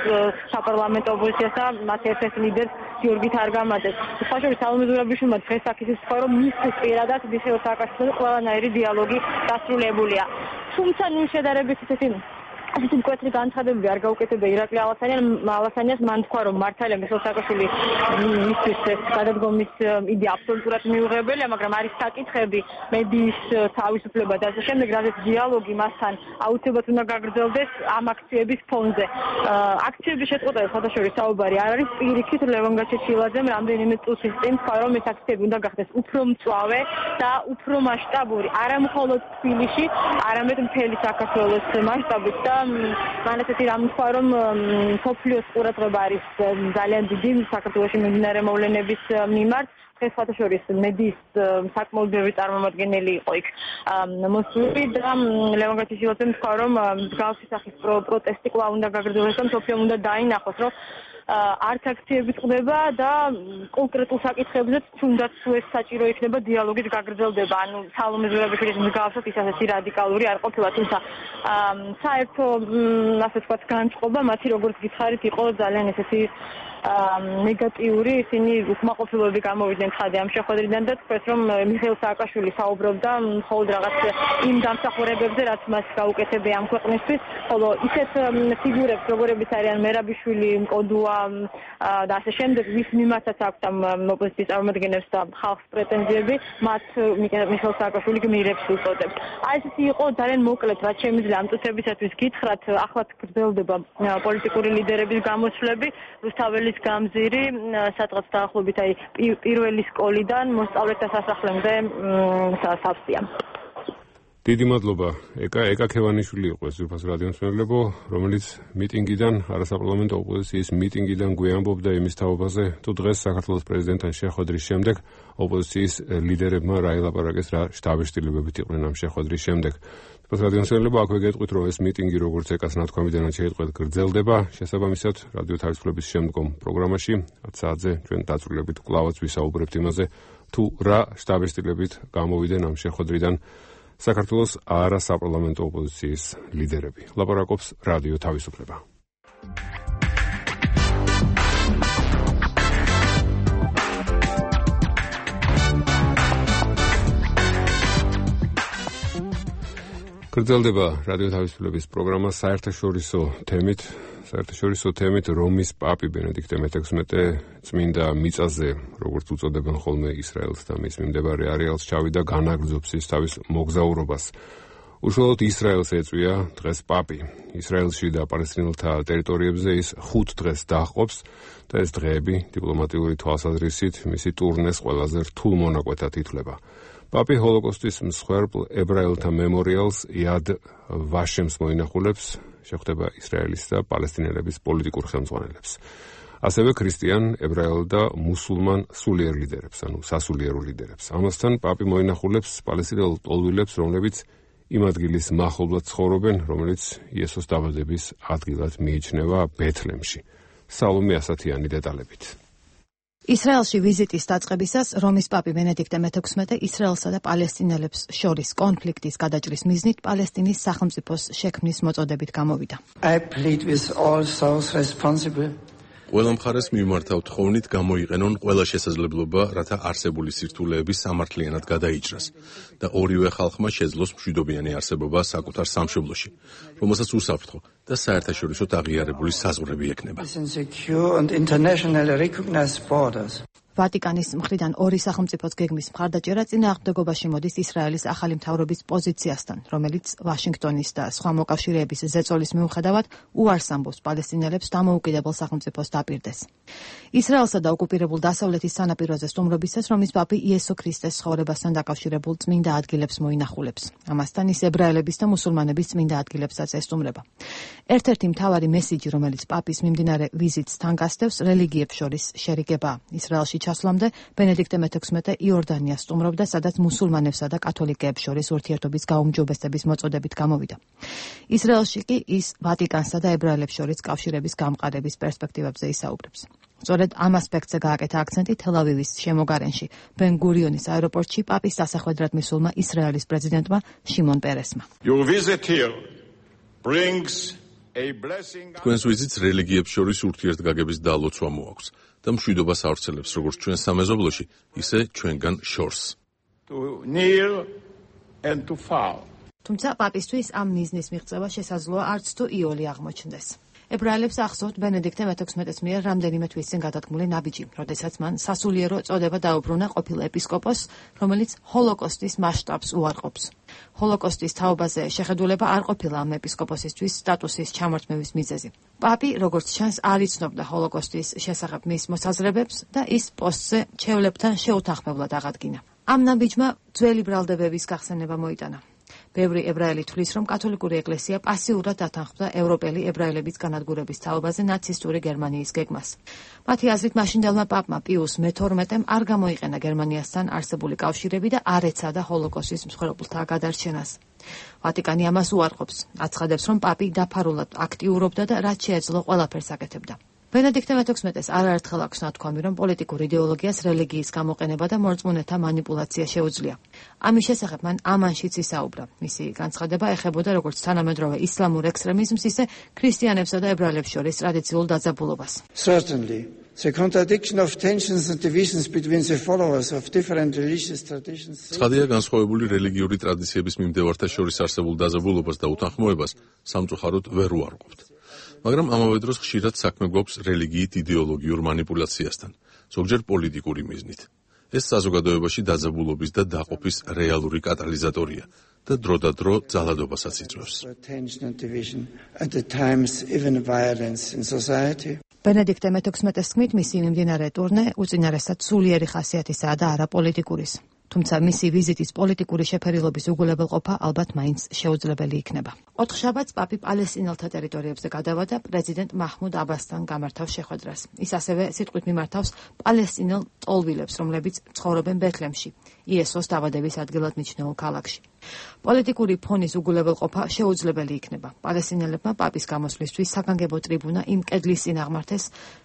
საპარლამენტო ოპოზიციას და მათ ერთ-ერთ ლიდერს გიორგი თარგამაძეს. სხვა შორის სალომე ზურაბიშვილმა დღეს აქ ისე თქვა, რომ მისთვის პირადად მიხეილ სააკაშვილთან ყველანაირი დიალოგი დასრულებულია. თუმცა ნუ შედარებით ისეთი ასეთი მკვეთრი განცხადებები არ გაუკეთებია ირაკლი ალაშანიას. მან თქვა, რომ მართალია მიხეილ სააკაშვილი მისთვის გადადგომის იდეა აბსოლუტურად მიუღებელია, მაგრამ არის საკითხები მედიის თავისუფლება და ასე შემდეგ, რადგან დიალოგი მასთან აუცილებლად უნდა გაგრძელდეს ამ აქციების ფონზე. აქციების შეწყვეტაზე საერთაშორისო საუბარი არ არის. პირიქით ლევან გაჩეჩილაძემ რამდენიმე წუთის წინ თქვა, რომ ეს აქციები უნდა გახდეს უფრო მწვავე და უფრო მასშტაბური, არა მხოლოდ თბილისში, არამედ მთელი საქართველოს მასშტაბით და მან ესეთი რამ თქვა, რომ მსოფლიოს ყურადღება არის ძალიან დიდი საქართველოში მიმდინარე მოვლენების მიმართ. დღეს საერთაშორის მედიის საკმაოდ ბევრი წარმომადგენელი იყო იქ მოსული და ლევან გაჩეჩილაძემ თქვა, რომ მსგავსი სახის პროტესტი კვლავ უნდა გაგრძელდეს და მსოფლიომ უნდა დაინახოს, რომ არც აქციები წყდება და კონკრეტულ საკითხებზე თუნდაც თუ ეს საჭირო იქნება დიალოგით გაგრძელდება. ანუ სალომე ზურაბიშვილის მსგავსად ის ასეთი რადიკალური არ ყოფილა, თუმცა საერთო ასე ვთქვათ განწყობა მათი როგორც გითხარით იყო ძალიან ესეთი ნეგატიური. ისინი უკმაყოფილოები გამოვიდნენ ხადე ამ შეხვედრიდან და თქვეს, რომ მიხეილ სააკაშვილი საუბრობდა მხოლოდ რაღაც იმ დამსახურებებზე, რაც მას გაუკეთებია ამ ქვეყნისთვის, ხოლო ისეთ ფიგურებს, როგორებიც არიან მერაბიშვილი, მკოდუა და ასე შემდეგ, ვის მიმართაც აქვს ამ ოპოზიციის წარმომადგენლებს და ხალხს პრეტენზიები, მათ მიხეილ სააკაშვილი გმირებს უწოდებს. აი ესეთი იყო ძალიან მოკლედ, რაც შემიძლია ამ წუთებისათვის გითხრათ. ახლაც გრძელდება პოლიტიკური ლიდერების გამოსვლები, რუსთაველის გამზირი სადღაც დაახლოებით აი პირველი სკოლიდან მოსწავლეთა სასახლემდე სავსეა. დიდი მადლობა. ეკა ეკა ქევანიშვილი იყო ეს ძვირფას რადიომსმენელებო, რომელიც მიტინგიდან, არასაპარლამენტო ოპოზიციის მიტინგიდან გვეამბობდა იმის თაობაზე, თუ დღეს საქართველოს პრეზიდენტთან შეხვედრის შემდეგ ოპოზიციის ლიდერებმა რა ელაპარაკეს, რა შთაბეჭდილებებით იყვნენ ამ შეხვედრის შემდეგ. ძვირფას რადიომსმენელებო, აქვე გეტყვით, რომ ეს მიტინგი როგორც ეკას ნათქვამიდანაც შეიტყვეთ გრძელდება, შესაბამისად რადიო თავისუფლების შემდგომ პროგრამაში ათ საათზე ჩვენ დაწვრილებით კვლავაც ვისაუბრებთ იმაზე, თუ რა შთაბეჭდილებით გამოვიდნენ ამ შეხვედრიდან საქართველოს არასაპარლამენტო ოპოზიციის ლიდერები. ლაპარაკობს რადიო თავისუფლება. გრძელდება რადიო თავისუფლების პროგრამა საერთაშორისო თემით, საერთაშორისო თემით რომის პაპი ბენედიქტე მეთექვსმეტე წმინდა მიწაზე, როგორც უწოდებენ ხოლმე ისრაელს და მის მიმდებარე არეალს, ჩავიდა განაგრძობს ის თავის მოგზაურობას. უშუალოდ ისრაელს ეწვია დღეს პაპი. ისრაელში და პალესტინელთა ტერიტორიებზე ის ხუთ დღეს დაჰყოფს და ეს დღეები დიპლომატიური თვალსაზრისით მისი ტურნეს ყველაზე რთულ მონაკვეთად ითვლება. პაპი ჰოლოკოსტის მსხვერპლ ებრაელთა მემორიალს იად ვაშემს მოინახულებს, შეხვდება ისრაელის და პალესტინელების პოლიტიკურ ხელმძღვანელებს. ასევე ქრისტიან, ებრაელ და მუსულმან სულიერ ლიდერებს, ანუ სასულიერო ლიდერებს. ამასთან პაპი მოინახულებს პალესტინელ ტოლვილებს, რომლებიც იმ ადგილის მახლობლად ცხოვრობენ, რომელიც იესოს დაბადების ადგილად მიიჩნევა ბეთლემში. სალომე ასათიანი დეტალებით. ისრაელში ვიზიტის დაწყებისას რომის პაპი ბენედიქტე მეთექვსმეტე ისრაელსა და პალესტინელებს შორის კონფლიქტის გადაჭრის მიზნით პალესტინის სახელმწიფოს შექმნის მოწოდებით გამოვიდა. I plead with all those responsible ყველა მხარეს მიმართავ თხოვნით გამოიყენონ ყველა შესაძლებლობა, რათა არსებული სირთულეების სამართლიანად გადაიჭრას და ორივე ხალხმა შეძლოს მშვიდობიანი არსებობა საკუთარ სამშობლოში, რომელსაც უსაფრთხო და საერთაშორისო აღიარებული საზღვრები ექნება. ვატიკანის მხრიდან ორი სახელმწიფოს გეგმის მხარდაჭერა წინააღმდეგობაში მოდის ისრაელის ახალი მთავრობის პოზიციასთან, რომელიც ვაშინგტონის და სხვა მოკავშირეების ზეწოლის მიუხედავად უარს ამბობს პალესტინელებს დამოუკიდებელ სახელმწიფოს დაპირდეს. ისრაელსა და ოკუპირებულ დასავლეთის სანაპიროზე სტუმრობისას რომის პაპი იესო ქრისტეს ცხოვრებასთან დაკავშირებულ წმინდა ადგილებს მოინახულებს. ამასთან ის ებრაელების და მუსულმანების წმინდა ადგილებსაც ესტუმრება. ერთ-ერთი მთავარი მესიჯი, რომელიც პაპის მიმდინარე ვიზიტს თან გასდევს, რელიგიებს შორის შერიგებაა. ისრაელში ჩასვლამდე ბენედიქტე მეთექვსმეტე იორდანიას სტუმრობდა, სადაც მუსულმანებსა და კათოლიკეებს შორის ურთიერთობის გაუმჯობესების მოწოდებით გამოვიდა. ისრაელში კი ის ვატიკანსა და ებრაელებს შორის კავშირების გამყარების პერსპექტივებზე ისაუბრებს. სწორედ ამ ასპექტზე გააკეთა აქცენტი თელ-ავივის შემოგარენში, ბენ-გურიონის აეროპორტში პაპის დასახვედრად მისულმა ისრაელის პრეზიდენტმა შიმონ პერესმა. თქვენს ვიზიტს რელიგიებს შორის ურთიერთგაგების დალოცვა მოაქვს და მშვიდობას ავრცელებს როგორც ჩვენ სამეზობლოში, ისე ჩვენგან შორს. თუმცა პაპისთვის ამ მიზნის მიღწევა შესაძლოა არც თუ იოლი აღმოჩნდეს. ებრაელებს ახსოვთ ბენედიქტე მეთექვსმეტეს მიერ რამდენიმე თვის წინ გადადგმული ნაბიჯი, როდესაც მან სასულიერო წოდება დაუბრუნა ყოფილ ეპისკოპოსს, რომელიც ჰოლოკოსტის მასშტაბს უარყოფს. ჰოლოკოსტის თაობაზე შეხედულება არ ყოფილა ამ ეპისკოპოსისთვის სტატუსის ჩამორთმევის მიზეზი. პაპი, როგორც ჩანს, არ იცნობდა ჰოლოკოსტის შესახებ მის მოსაზრებებს და ის პოსტზე ჩვეულებთან შეუთანხმებლად აღადგინა. ამ ნაბიჯმა ძველი ბრალდებების გახსენება მოიტანა. ბევრი ებრაელი თვლის, რომ კათოლიკური ეკლესია პასიურად დათანხმდა ევროპელი ებრაელების განადგურების თაობაზე ნაცისტური გერმანიის გეგმას. მათი აზრით, მაშინდელმა პაპმა პიუს მეთორმეტემ არ გამოიყენა გერმანიასთან არსებული კავშირები და არ ეცადა ჰოლოკოსტის მსხვერპლთა გადარჩენას. ვატიკანი ამას უარყოფს, აცხადებს, რომ პაპი დაფარულად აქტიურობდა და რაც შეეძლო ყველაფერს აკეთებდა. ბენედიქტე მეთექვსმეტეს არაერთხელ აქვს ნათქვამი, რომ პოლიტიკურ იდეოლოგიას რელიგიის გამოყენება და მორწმუნეთა манипуляცია შეუძლია. ამის შესახებ მან ამანშიც ისაუბრა. მისი განცხადება ეხებოდა როგორც თანამედროვე ისლამურ ექსტრემიზმს, ისე ქრისტიანებსა და ებრაელებს შორის ტრადიციულ დაძაბულობას. Certainly, the contradiction of tensions and divisions between the followers of different religious traditions. ცხადია, განსხვავებული რელიგიური ტრადიციების მიმდევართა შორის არსებულ დაძაბულობას და უთანხმოებას სამწუხაროდ ვერ უარყოფთ. მაგრამ ამავე დროს ხშირად საქმე გვაქვს რელიგიით იდეოლოგიურ манипуляციასთან, ზოგჯერ პოლიტიკური მიზნით. ეს საზოგადოებაში დაძაბულობის და დაყოფის რეალური კატალიზატორია და დროდადრო ძალადობასაც იწვევს. ბენედიქტე მეთექვსმეტეს თქმით, მისი მიმდინარე ტურნე უწინარესად სულიერი ხასიათისაა და არა პოლიტიკურის. თუმცა მისი ვიზიტის პოლიტიკური შეფერილობის უგულებელყოფა ალბათ მაინც შეუძლებელი იქნება. ოთხშაბათს პაპი პალესტინელთა ტერიტორიებზე გადავა და პრეზიდენტ მაჰმუდ აბასთან გამართავს შეხვედრას. ის ასევე სიტყვით მიმართავს პალესტინელ ტოლვილებს, რომლებიც ცხოვრობენ ბეთლემში, იესოს დაბადების ადგილად მიჩნეულ ქალაქში. პოლიტიკური ფონის უგულებელყოფა შეუძლებელი იქნება. პალესტინელებმა პაპის გამოსვლისთვის საგანგებო ტრიბუნა იმ კედლის წინ აღმართეს,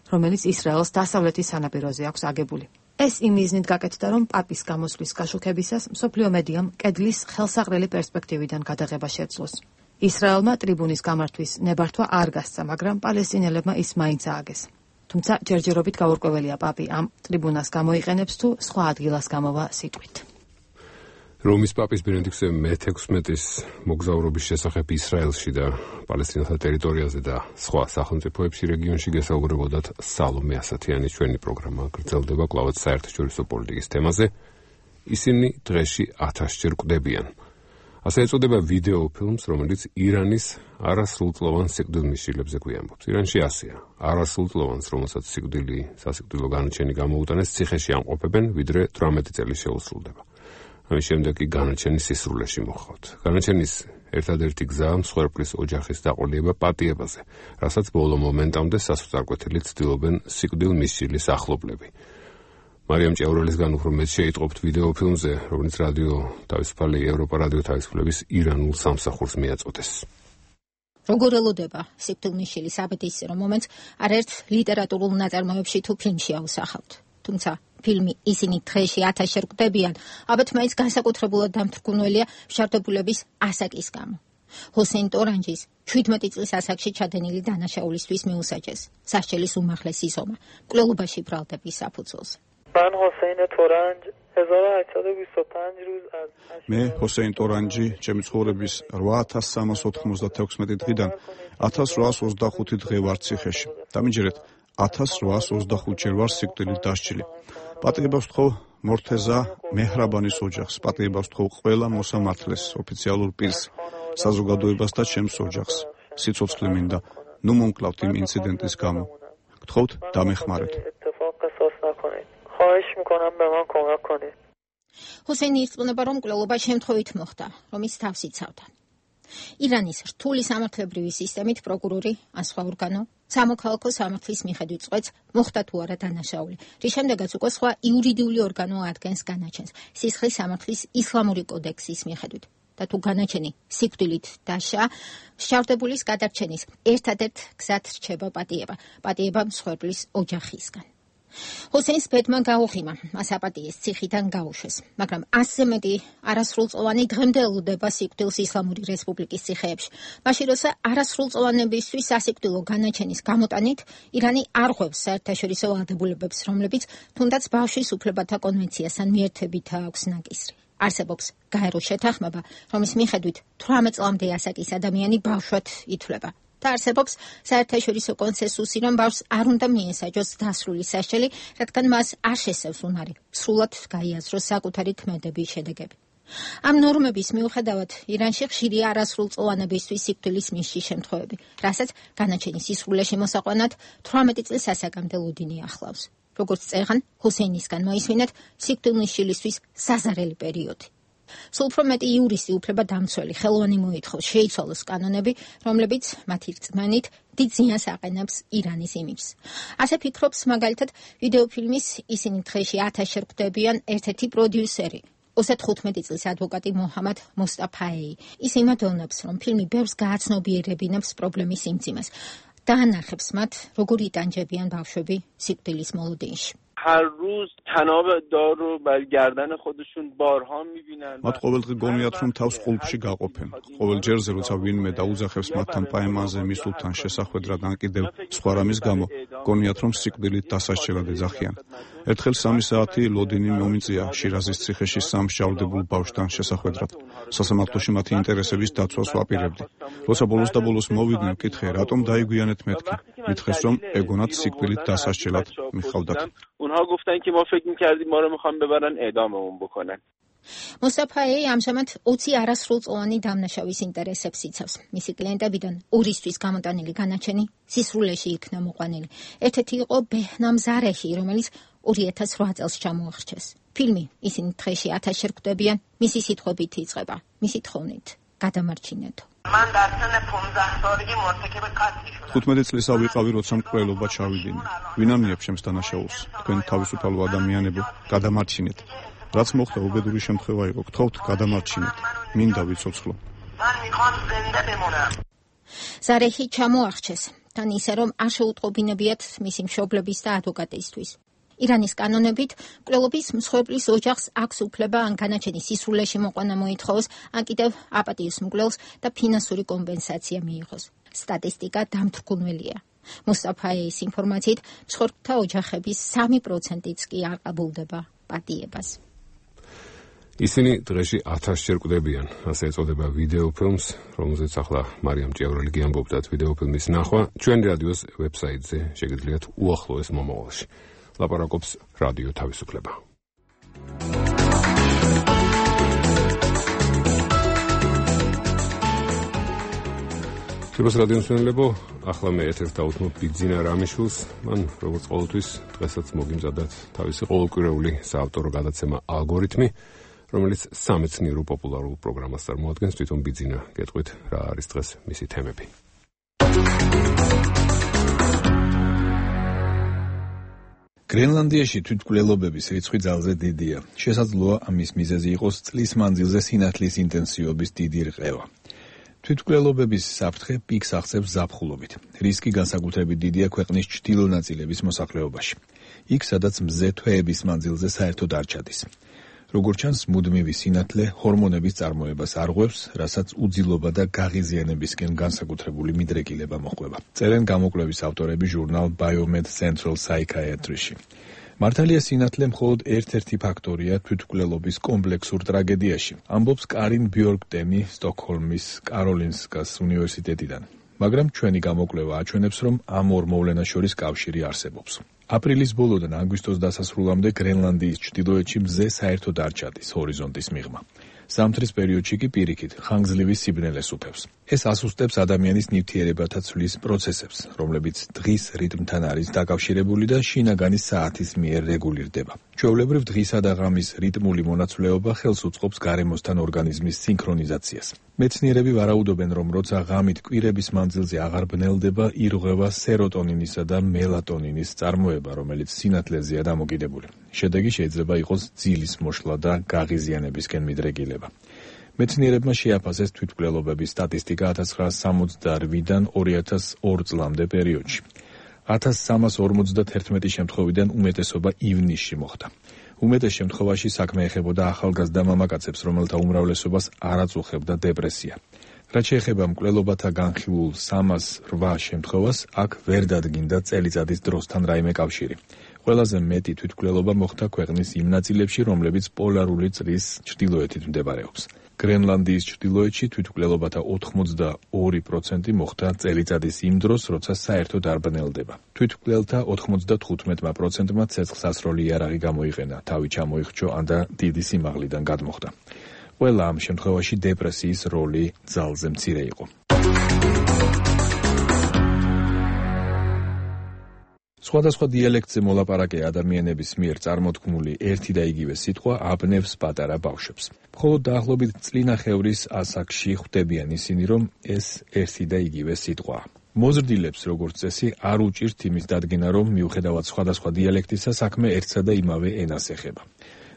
რომელიც ისრაელს დასავლეთის სანაპიროზე აქვს აგებული. ეს იმ მიზნით გაკეთდა, რომ პაპის გამოსვლის გაშუქებისას მსოფლიო მედიამ კედლის ხელსაყრელი პერსპექტივიდან გადაღება შეძლოს. ისრაელმა ტრიბუნის გამართვის ნებართვა არ გასცა, მაგრამ პალესტინელებმა ის მაინც ააგეს. თუმცა ჯერჯერობით გაურკვეველია პაპი ამ ტრიბუნას გამოიყენებს თუ სხვა ადგილას გამოვა სიტყვით. რომის პაპის ბენედიქტე მეთექვსმეტის მოგზაურობის შესახებ ისრაელში და პალესტინელთა ტერიტორიაზე და სხვა სახელმწიფოებში რეგიონში გესაუბრებოდათ სალომე ასათიანის ჩვენი პროგრამა გრძელდება კვლავაც საერთაშორისო პოლიტიკის თემაზე. ისინი დღეში ათასჯერ კვდებიან. ასე ეწოდება ვიდეო ფილმს, რომელიც ირანის არასრულწლოვან სიკვდილმისშილებზე გვიამბობს. ირანში ასეა. არასრულწლოვანს, რომელსაც სიკვდილი, სასიკვდილო განაჩენი გამოუტანეს, ციხეში ამყოფებენ, ვიდრე თვრამეტი წელი შეუსრულდება. ამის შემდეგ კი განაჩენი სისრულეში მოხავთ. განაჩენის ერთადერთი გზაა მსხვერპლის ოჯახის დაყოლება პატიებაზე, რასაც ბოლო მომენტამდე სასოწარკვეთილით ცდილობენ სიკვდილმისშილის ახლობლები. მარიამ ჭევრელისგან უფრო მეტ შეიტყობთ ვიდეო ფილმზე, რომელიც რადიო თავისუფალი ევროპა რადიო თავისუფლების ირანულ სამსახურს მიაწოდეს. როგორ ელოდება სიკვდილმისშილის აბედისწერო მომენტს არაერთ ლიტერატურულ ნაწარმოებში თუ ფილმში აუსახავთ. თუმცა ფილმი ისინი დღეში ათასჯერ კვდებიან, ალბათ მაინც განსაკუთრებულად დამთრგუნველია მშარდებულების ასაკის გამო. ჰუსეინ ტორანჯის შვიდმეტი წლის ასაკში ჩადენილი დანაშაულისთვის მიუსაჯეს სასჯელის უმაღლესი ზომა, მკვლელობაში ბრალდების საფუძველზე. მან ჰუსეინ ტორანჯ هزار و هشتصد و بیست و پنج روز از მე ჰუსეინ ტორანჯი ჩემი ცხოვრების რვა ათას სამას ოთხმოცდათექვსმეტი დღიდან ათას რვაას ოცდახუთი დღე ვარ ციხეში. დამიჯერეთ ათას რვაას ოცდახუთჯერ ვარ სიკვდილით დასჯილი. პატიებას ვთხოვ მორთეზა მეჰრაბანის ოჯახს, პატიებას ვთხოვ ყველა მოსამართლეს, ოფიციალურ პირს, საზოგადოებას და ჩემს ოჯახს. სიცოცხლე მინდა, ნუ მომკლავთ იმ ინციდენტის გამო. გთხოვთ დამეხმარეთ. خواهش میکنم به من کمک کنید. ჰუსეინი ირწმუნება, რომ მკვლელობა შემთხვევით მოხდა, რომ ის თავს იცავდა. ირანის რთული სამართლებრივი სისტემით პროკურორი ან სხვა ორგანო სამოქალაქო სამართლის მიხედვით წყვეტს მოხდა თუ არა დანაშაული, რის შემდეგაც უკვე სხვა იურიდიული ორგანო ადგენს განაჩენს სისხლის სამართლის ისლამური კოდექსის მიხედვით. და თუ განაჩენი სიკვდილით დაშა, შავდებულის გადარჩენის ერთადერთ გზად რჩება პატიება, პატიება მსხვერპლის ოჯახისგან. ჰუსეინს ბედმა გაუღიმა, მას აპატიეს ციხიდან გაუშვეს, მაგრამ ასზე მეტი არასრულწლოვანი დღემდე ელოდება სიკვდილს ისლამური რესპუბლიკის ციხეებში. მაშინ როცა არასრულწლოვანებისთვის სასიკვდილო განაჩენის გამოტანით ირანი არ ღვევს საერთაშორისო ვალდებულებებს, რომლებიც თუნდაც ბავშვის უფლებათა კონვენციასთან მიერთებითაა აქვს ნაკისრი. არსებობს გაერო შეთანხმება, რომლის მიხედვით თვრამეტ წლამდე ასაკის ადამიანი ბავშვად ითვლება. და არსებობს საერთაშორისო კონსენსუსი, რომ ბავშვს არ უნდა მიესაჯოს დასრული სასჯელი, რადგან მას არ შესევს უნარი სრულად გაიაზროს საკუთარი ქმედების შედეგები. ამ ნორმების მიუხედავად, ირანში ხშირია არასრულწლოვანებისთვის სიკვდილის მისჯის შემთხვევები, რასაც განაჩენის სისრულეში მოსაყვანად თვრამეტი წლის ასაკამდე ლოდინი ახლავს. როგორც წერან, ჰუსეინისგან მოისმინეთ სიკვდილმისჯილისთვის საზარელი პერიოდი. სულ უფრო მეტი იურისტი უფლება დამცველი ხელოვანი მოითხოვს შეიცვალოს კანონები, რომლებიც მათი რწმენით დიდ ზიანს აყენებს ირანის იმიჯს. ასე ფიქრობს მაგალითად ვიდეოფილმის ისინი დღეში ათასჯერ კვდებიან ერთ-ერთი პროდიუსერი, ოცდათხუთმეტი წლის ადვოკატი მოჰამად მოსტაფაეი. ის იმედოვნებს, რომ ფილმი ბევრს გააცნობიერებინებს პრობლემის სიმძიმეს და ანახებს მათ, როგორ იტანჯებიან ბავშვები სიკვდილის მოლოდინში. هر روز تناب دار رو بر گردن خودشون بارها میبینن. მათ ყოველდღე გონიათ, რომ თავს ყულფში გაყოფენ. ყოველ ჯერზე, როცა ვინმე დაუძახებს მათთან პაემანზე მისულთან შესახვედრად ან კიდევ სხვა რამის გამო, გონიათ, რომ სიკვდილით დასასჯელად ეძახიან. ერთხელ სამი საათი ლოდინი მომიწია შირაზის ციხეში სამ შავდებულ ბავშვთან შესახვედრად. სასამართლოში მათი ინტერესების დაცვას ვაპირებდი. როცა ბოლოს და ბოლოს მოვიდნენ, ვკითხე, რატომ დაიგვიანეთ მეთქი? მითხეს, რომ ეგონათ სიკვდილით დასასჯელად მიხავდათ. اونها گفتن که ما فکر می‌کردیم ما رو می‌خوان ببرن اعداممون بکنن. მოსაფაეი ამჟამად ოცი არასრულწლოვანი დამნაშავის ინტერესებს იცავს. მისი კლიენტებიდან ორისთვის გამოტანილი განაჩენი სისრულეში იქნა მოყვანილი. ერთ-ერთი იყო ბეჰნამ ზარეჰი, რომელიც ორი ათას რვა წელს ჩამოახრჩეს. ფილმი ისინი დღეში ათასჯერ ხვდებიან, მისი სიტყვებით იწყება, მისი თხოვნით გადამარჩინეთო. მან დარჩენა пятнадцать ორი მორთქება კაცი. ხუთმეტი წლის ავიყავი, როცა მკვლელობა ჩავიდინე. ვინ ამნიებს ჩემს დანაშაულს? თქვენ თავისუფალო ადამიანებო, გადამარჩინეთ. რაც მოხდა უბედური შემთხვევა იყო, გთხოვთ გადამარჩინეთ. მინდა ვიცოცხლო. მან მიყავს ზენდა ბემონა. ზარეჰი ჩამოახჩეს, თან ისე რომ არ შეუტყობინებიათ მისი მშობლების და ადვოკატისთვის. ირანის კანონებით მკვლელობის მსხვერპლის ოჯახს აქვს უფლება ან განაჩენის სისრულეში მოყვანა მოითხოვოს, ან კიდევ აპატიოს მკვლელს და ფინანსური კომპენსაცია მიიღოს. სტატისტიკა დამთრგუნველია. მუსტაფაეის ინფორმაციით, მსხვერპლთა ოჯახების სამი პროცენტიც კი არ ყაბულდება პატიებას. ისინი დღეში ათასჯერ კვდებიან, ასე ეწოდება ვიდეო ფილმს, რომელზეც ახლა მარიამ ჭიავრელი გიამბობდათ. ვიდეო ფილმის ნახვა ჩვენი რადიოს ვებსაიტზე შეგიძლიათ უახლოეს მომავალში. ლაპარაკობს რადიო თავისუფლება. შევას რადიო მსმენელებო, ახლა მე ეთერს დავუთმობ ბიძინა რამიშვილს. მან როგორც ყოველთვის დღესაც მოგიმზადათ თავისი ყოველკვირეული საავტორო გადაცემა ალგორითმი, რომელიც სამეცნიერო პოპულარულ პროგრამას წარმოადგენს. თვითონ ბიძინა გეტყვით რა არის დღეს მისი თემები. გრენლანდიაში თვითმკვლელობების რიცხვი ძალზე დიდია. შესაძლოა ამის მიზეზი იყოს წლის მანძილზე სინათლის ინტენსივობის დიდი რყევა. თვითმკვლელობების საფრთხე პიკს აღწევს ზაფხულობით. რისკი განსაკუთრებით დიდია ქვეყნის ჩრდილო ნაწილების მოსახლეობაში. იქ, სადაც მზე თვეების მანძილზე საერთოდ არ ჩადის. როგორც ჩანს, მუდმივი სინათლე ჰორმონების წარმოებას არღვევს, რასაც უძილობა და გაღიზიანებისკენ განსაკუთრებული მიდრეკილება მოჰყვება. წერენ გამოკვლევის ავტორები ჟურნალ Biomed Central Psychiatry-ში. მართალია სინათლე მხოლოდ ერთ-ერთი ფაქტორია თვითმკვლელობის კომპლექსურ ტრაგედიაში, ამბობს კარინ ბიორკტენი სტოკჰოლმის კაროლინსკას უნივერსიტეტიდან. მაგრამ ჩვენი გამოკვლევა აჩვენებს, რომ ამ ორ მოვლენას შორის კავშირი არსებობს. აპრილის ბოლოდან აგვისტოს დასასრულამდე გრენლანდიის ჩრდილოეთში მზე საერთოდ არ ჩადის ჰორიზონტის მიღმა. ზამთრის პერიოდში კი პირიქით ხანგრძლივი სიბნელეს უფევს. ეს ასუსტებს ადამიანის ნივთიერებათა ცვლის პროცესებს, რომლებიც დღის რიტმთან არის დაკავშირებული და შინაგანი საათის მიერ რეგულირდება. ჩვეულებრივ დღისა და ღამის რიტმული მონაცვლეობა ხელს უწყობს გარემოსთან ორგანიზმის სინქრონიზაციას. მეცნიერები ვარაუდობენ, რომ როცა ღამით კვირების მანძილზე აღარ ბნელდება, ირღვევა სეროტონინისა და მელატონინის წარმოება, რომელიც სინათლეზეა დამოკიდებული. შედეგი შეიძლება იყოს ძილის მოშლა და გაღიზიანებისკენ მიდრეკილება. მეცნიერებმა შეაფასეს თვითმკვლელობების სტატისტიკა ათას ცხრაასი სამოცდაორი-დან ორი ათას ორი წლამდე პერიოდში. ათას სამას ორმოცდაერთმეტი შემთხვევიდან უმეტესობა ივნისში მოხდა. უმეტეს შემთხვევაში საქმე ეხებოდა ახალგაზრდა მამაკაცებს, რომელთა უმრავლესობას არ აწუხებდა დეპრესია. რაც შეეხება მკვლელობათა განხილულ სამას რვა შემთხვევას, აქ ვერ დადგინდა წელიწადის დროსთან რაიმე კავშირი. ყველაზე მეტი თვითმკვლელობა მოხდა ქვეყნის იმ ნაწილებში, რომლებიც პოლარული წრის ჩრდილოეთით მდებარეობს. გრენლანდიის ჩრდილოეთში თვითმკვლელობათა ოთხმოცდაორი პროცენტი მოხდა წელიწადის იმ დროს, როცა საერთოდ არ ბნელდება. თვითმკვლელთა ოთხმოცდათხუთმეტი პროცენტმა ცეცხლსასროლი იარაღი გამოიყენა, თავი ჩამოიხრჩო ან და დიდი სიმაღლიდან გადმოხდა. ყველა ამ შემთხვევაში დეპრესიის როლი ძალზე მცირე იყო. სხვადასხვა დიალექტზე მოლაპარაკე ადამიანების მიერ წარმოთქმული ერთი და იგივე სიტყვა აბნევს პატარა ბავშვებს. მხოლოდ დაახლოებით წლინახევრის ასაკში ხვდებიან ისინი, რომ ეს ერთი და იგივე სიტყვაა. მოზრდილებს, როგორც წესი, არ უჭირთ იმის დადგენა, რომ მიუხედავად სხვადასხვა დიალექტისა, საქმე ერთსა და იმავე ენას ეხება.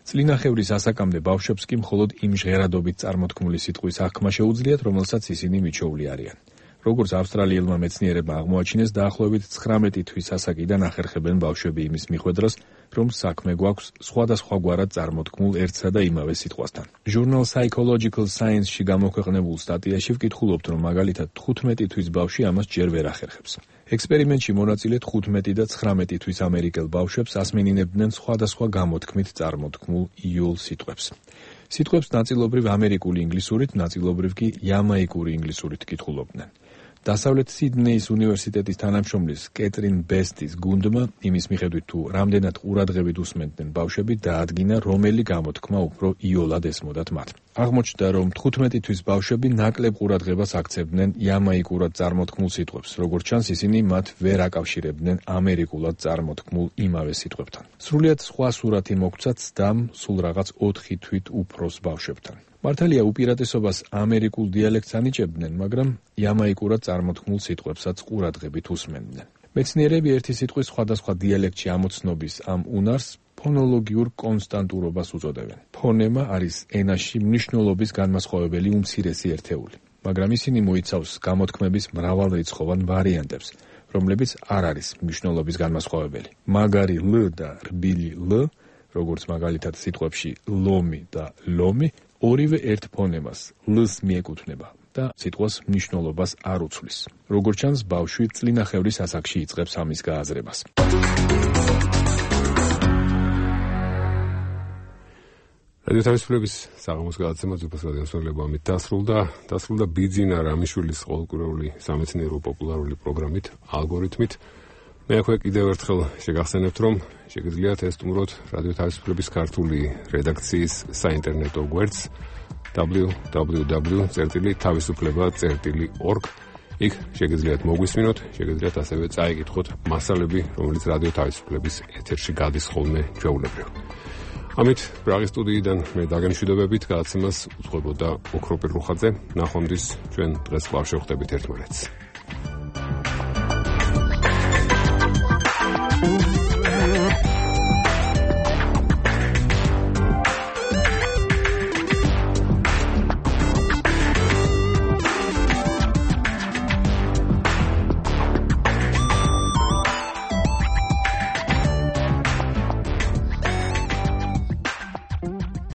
წლინახევრის ასაკამდე ბავშვებს კი მხოლოდ იმ ჟღერადობით წარმოთქმული სიტყვის აღქმა შეუძლიათ, რომელსაც ისინი მიჩოვლი არიან. როგორც ავსტრალიელმა მეცნიერებმა აღმოაჩინეს, დაახლოებით ცხრამეტი თვის ასაკიდან ახერხებენ ბავშვები იმის მიხვედრას, რომ საქმე გვაქვს სხვადასხვაგვარად წარმოთქმულ ერთსა და იმავე სიტყვასთან. ჟურნალ Psychological Science-ში გამოქვეყნებულ სტატიაში ვკითხულობთ, რომ მაგალითად თხუთმეტი თვის ბავშვი ამას ჯერ ვერ ახერხებს. ექსპერიმენტში მონაწილე თხუთმეტი და ცხრამეტი თვის ამერიკელ ბავშვებს ასმენინებდნენ სხვადასხვა გამოთქმით წარმოთქმულ იოლ სიტყვებს. სიტყვებს ნაწილობრივ ამერიკული ინგლისურით, ნაწილობრივ კი იამაიკური ინგლისურით კითხულობდნენ. დასავლეთ სიდნეის უნივერსიტეტის თანამშრომლის კეტრინ ბესტის გუნდმა იმის მიხედვით, თუ რამდენად ყურადღებით უსმენდნენ ბავშვები, დაადგინა, რომელი გამოთქმა უფრო იოლად ესმოდათ მათ. აღმოჩნდა, რომ თხუთმეტი თვის ბავშვები ნაკლებ ყურადღებას აქცევდნენ იამაიკურად წარმოთქმულ სიტყვებს, როგორც ჩანს, ისინი მათ ვერ აკავშირებდნენ ამერიკულად წარმოთქმულ იმავე სიტყვებთან. სრულიად სხვა სურათი მოგვცათ ცდამ სულ რაღაც ოთხი თვით უფროს ბავშვებთან. მართალია უპირატესობას ამერიკულ დიალექტს ანიჭებდნენ, მაგრამ იამაიკურად წარმოთქმულ სიტყვებსაც ყურადღებით უსმენდნენ. მეცნიერები ერთი სიტყვის სხვადასხვა დიალექტში ამოცნობის ამ უნარს ფონოლოგიურ კონსტანტურობას უწოდებენ. ფონემა არის ენაში მნიშვნელობის განმასხვავებელი უმცირესი ერთეული, მაგრამ ისინი მოიცავს გამოთქმების მრავალრიცხოვან ვარიანტებს, რომლებიც არ არის მნიშვნელობის განმასხვავებელი. მაგარი ლ და რბილი ლ, როგორც მაგალითად სიტყვებში ლომი და ლომი, ორივე ერთ ფონემას ლ-ს მიეკუთვნება და სიტყვას მნიშვნელობას არ უცვლის. როგორც ჩანს, ბავშვი წლინახევრის ასაკში იწყებს ამის გააზრებას. რადიო თავისუფლების საღამოს გადაცემა ძვირფას რადიოსმენელებო ამით დასრულდა. დასრულდა ბიძინა რამიშვილის ყოველკვირეული სამეცნიერო პოპულარული პროგრამით, ალგორითმით. მე აქვე კიდევ ერთხელ შეგახსენებთ, რომ შეგიძლიათ ესტუმროთ რადიო თავისუფლების ქართული რედაქციის საინტერნეტო გვერდს დაბლიუ დაბლიუ დაბლიუ წერტილი თავისუფლება წერტილი ორგ. იქ შეგიძლიათ მოგვისმინოთ, შეგიძლიათ ასევე წაიკითხოთ მასალები, რომელიც რადიო თავისუფლების ეთერში გადის ხოლმე ჩვეულებრივ. ამით პრაღის სტუდიიდან მე დაგემშვიდობებით, გადაცემას უძღვებოდა ოქროპირ რუხაძე. ნახვამდის ჩვენ დღეს კვლავ შევხვდებით ერთმანეთს.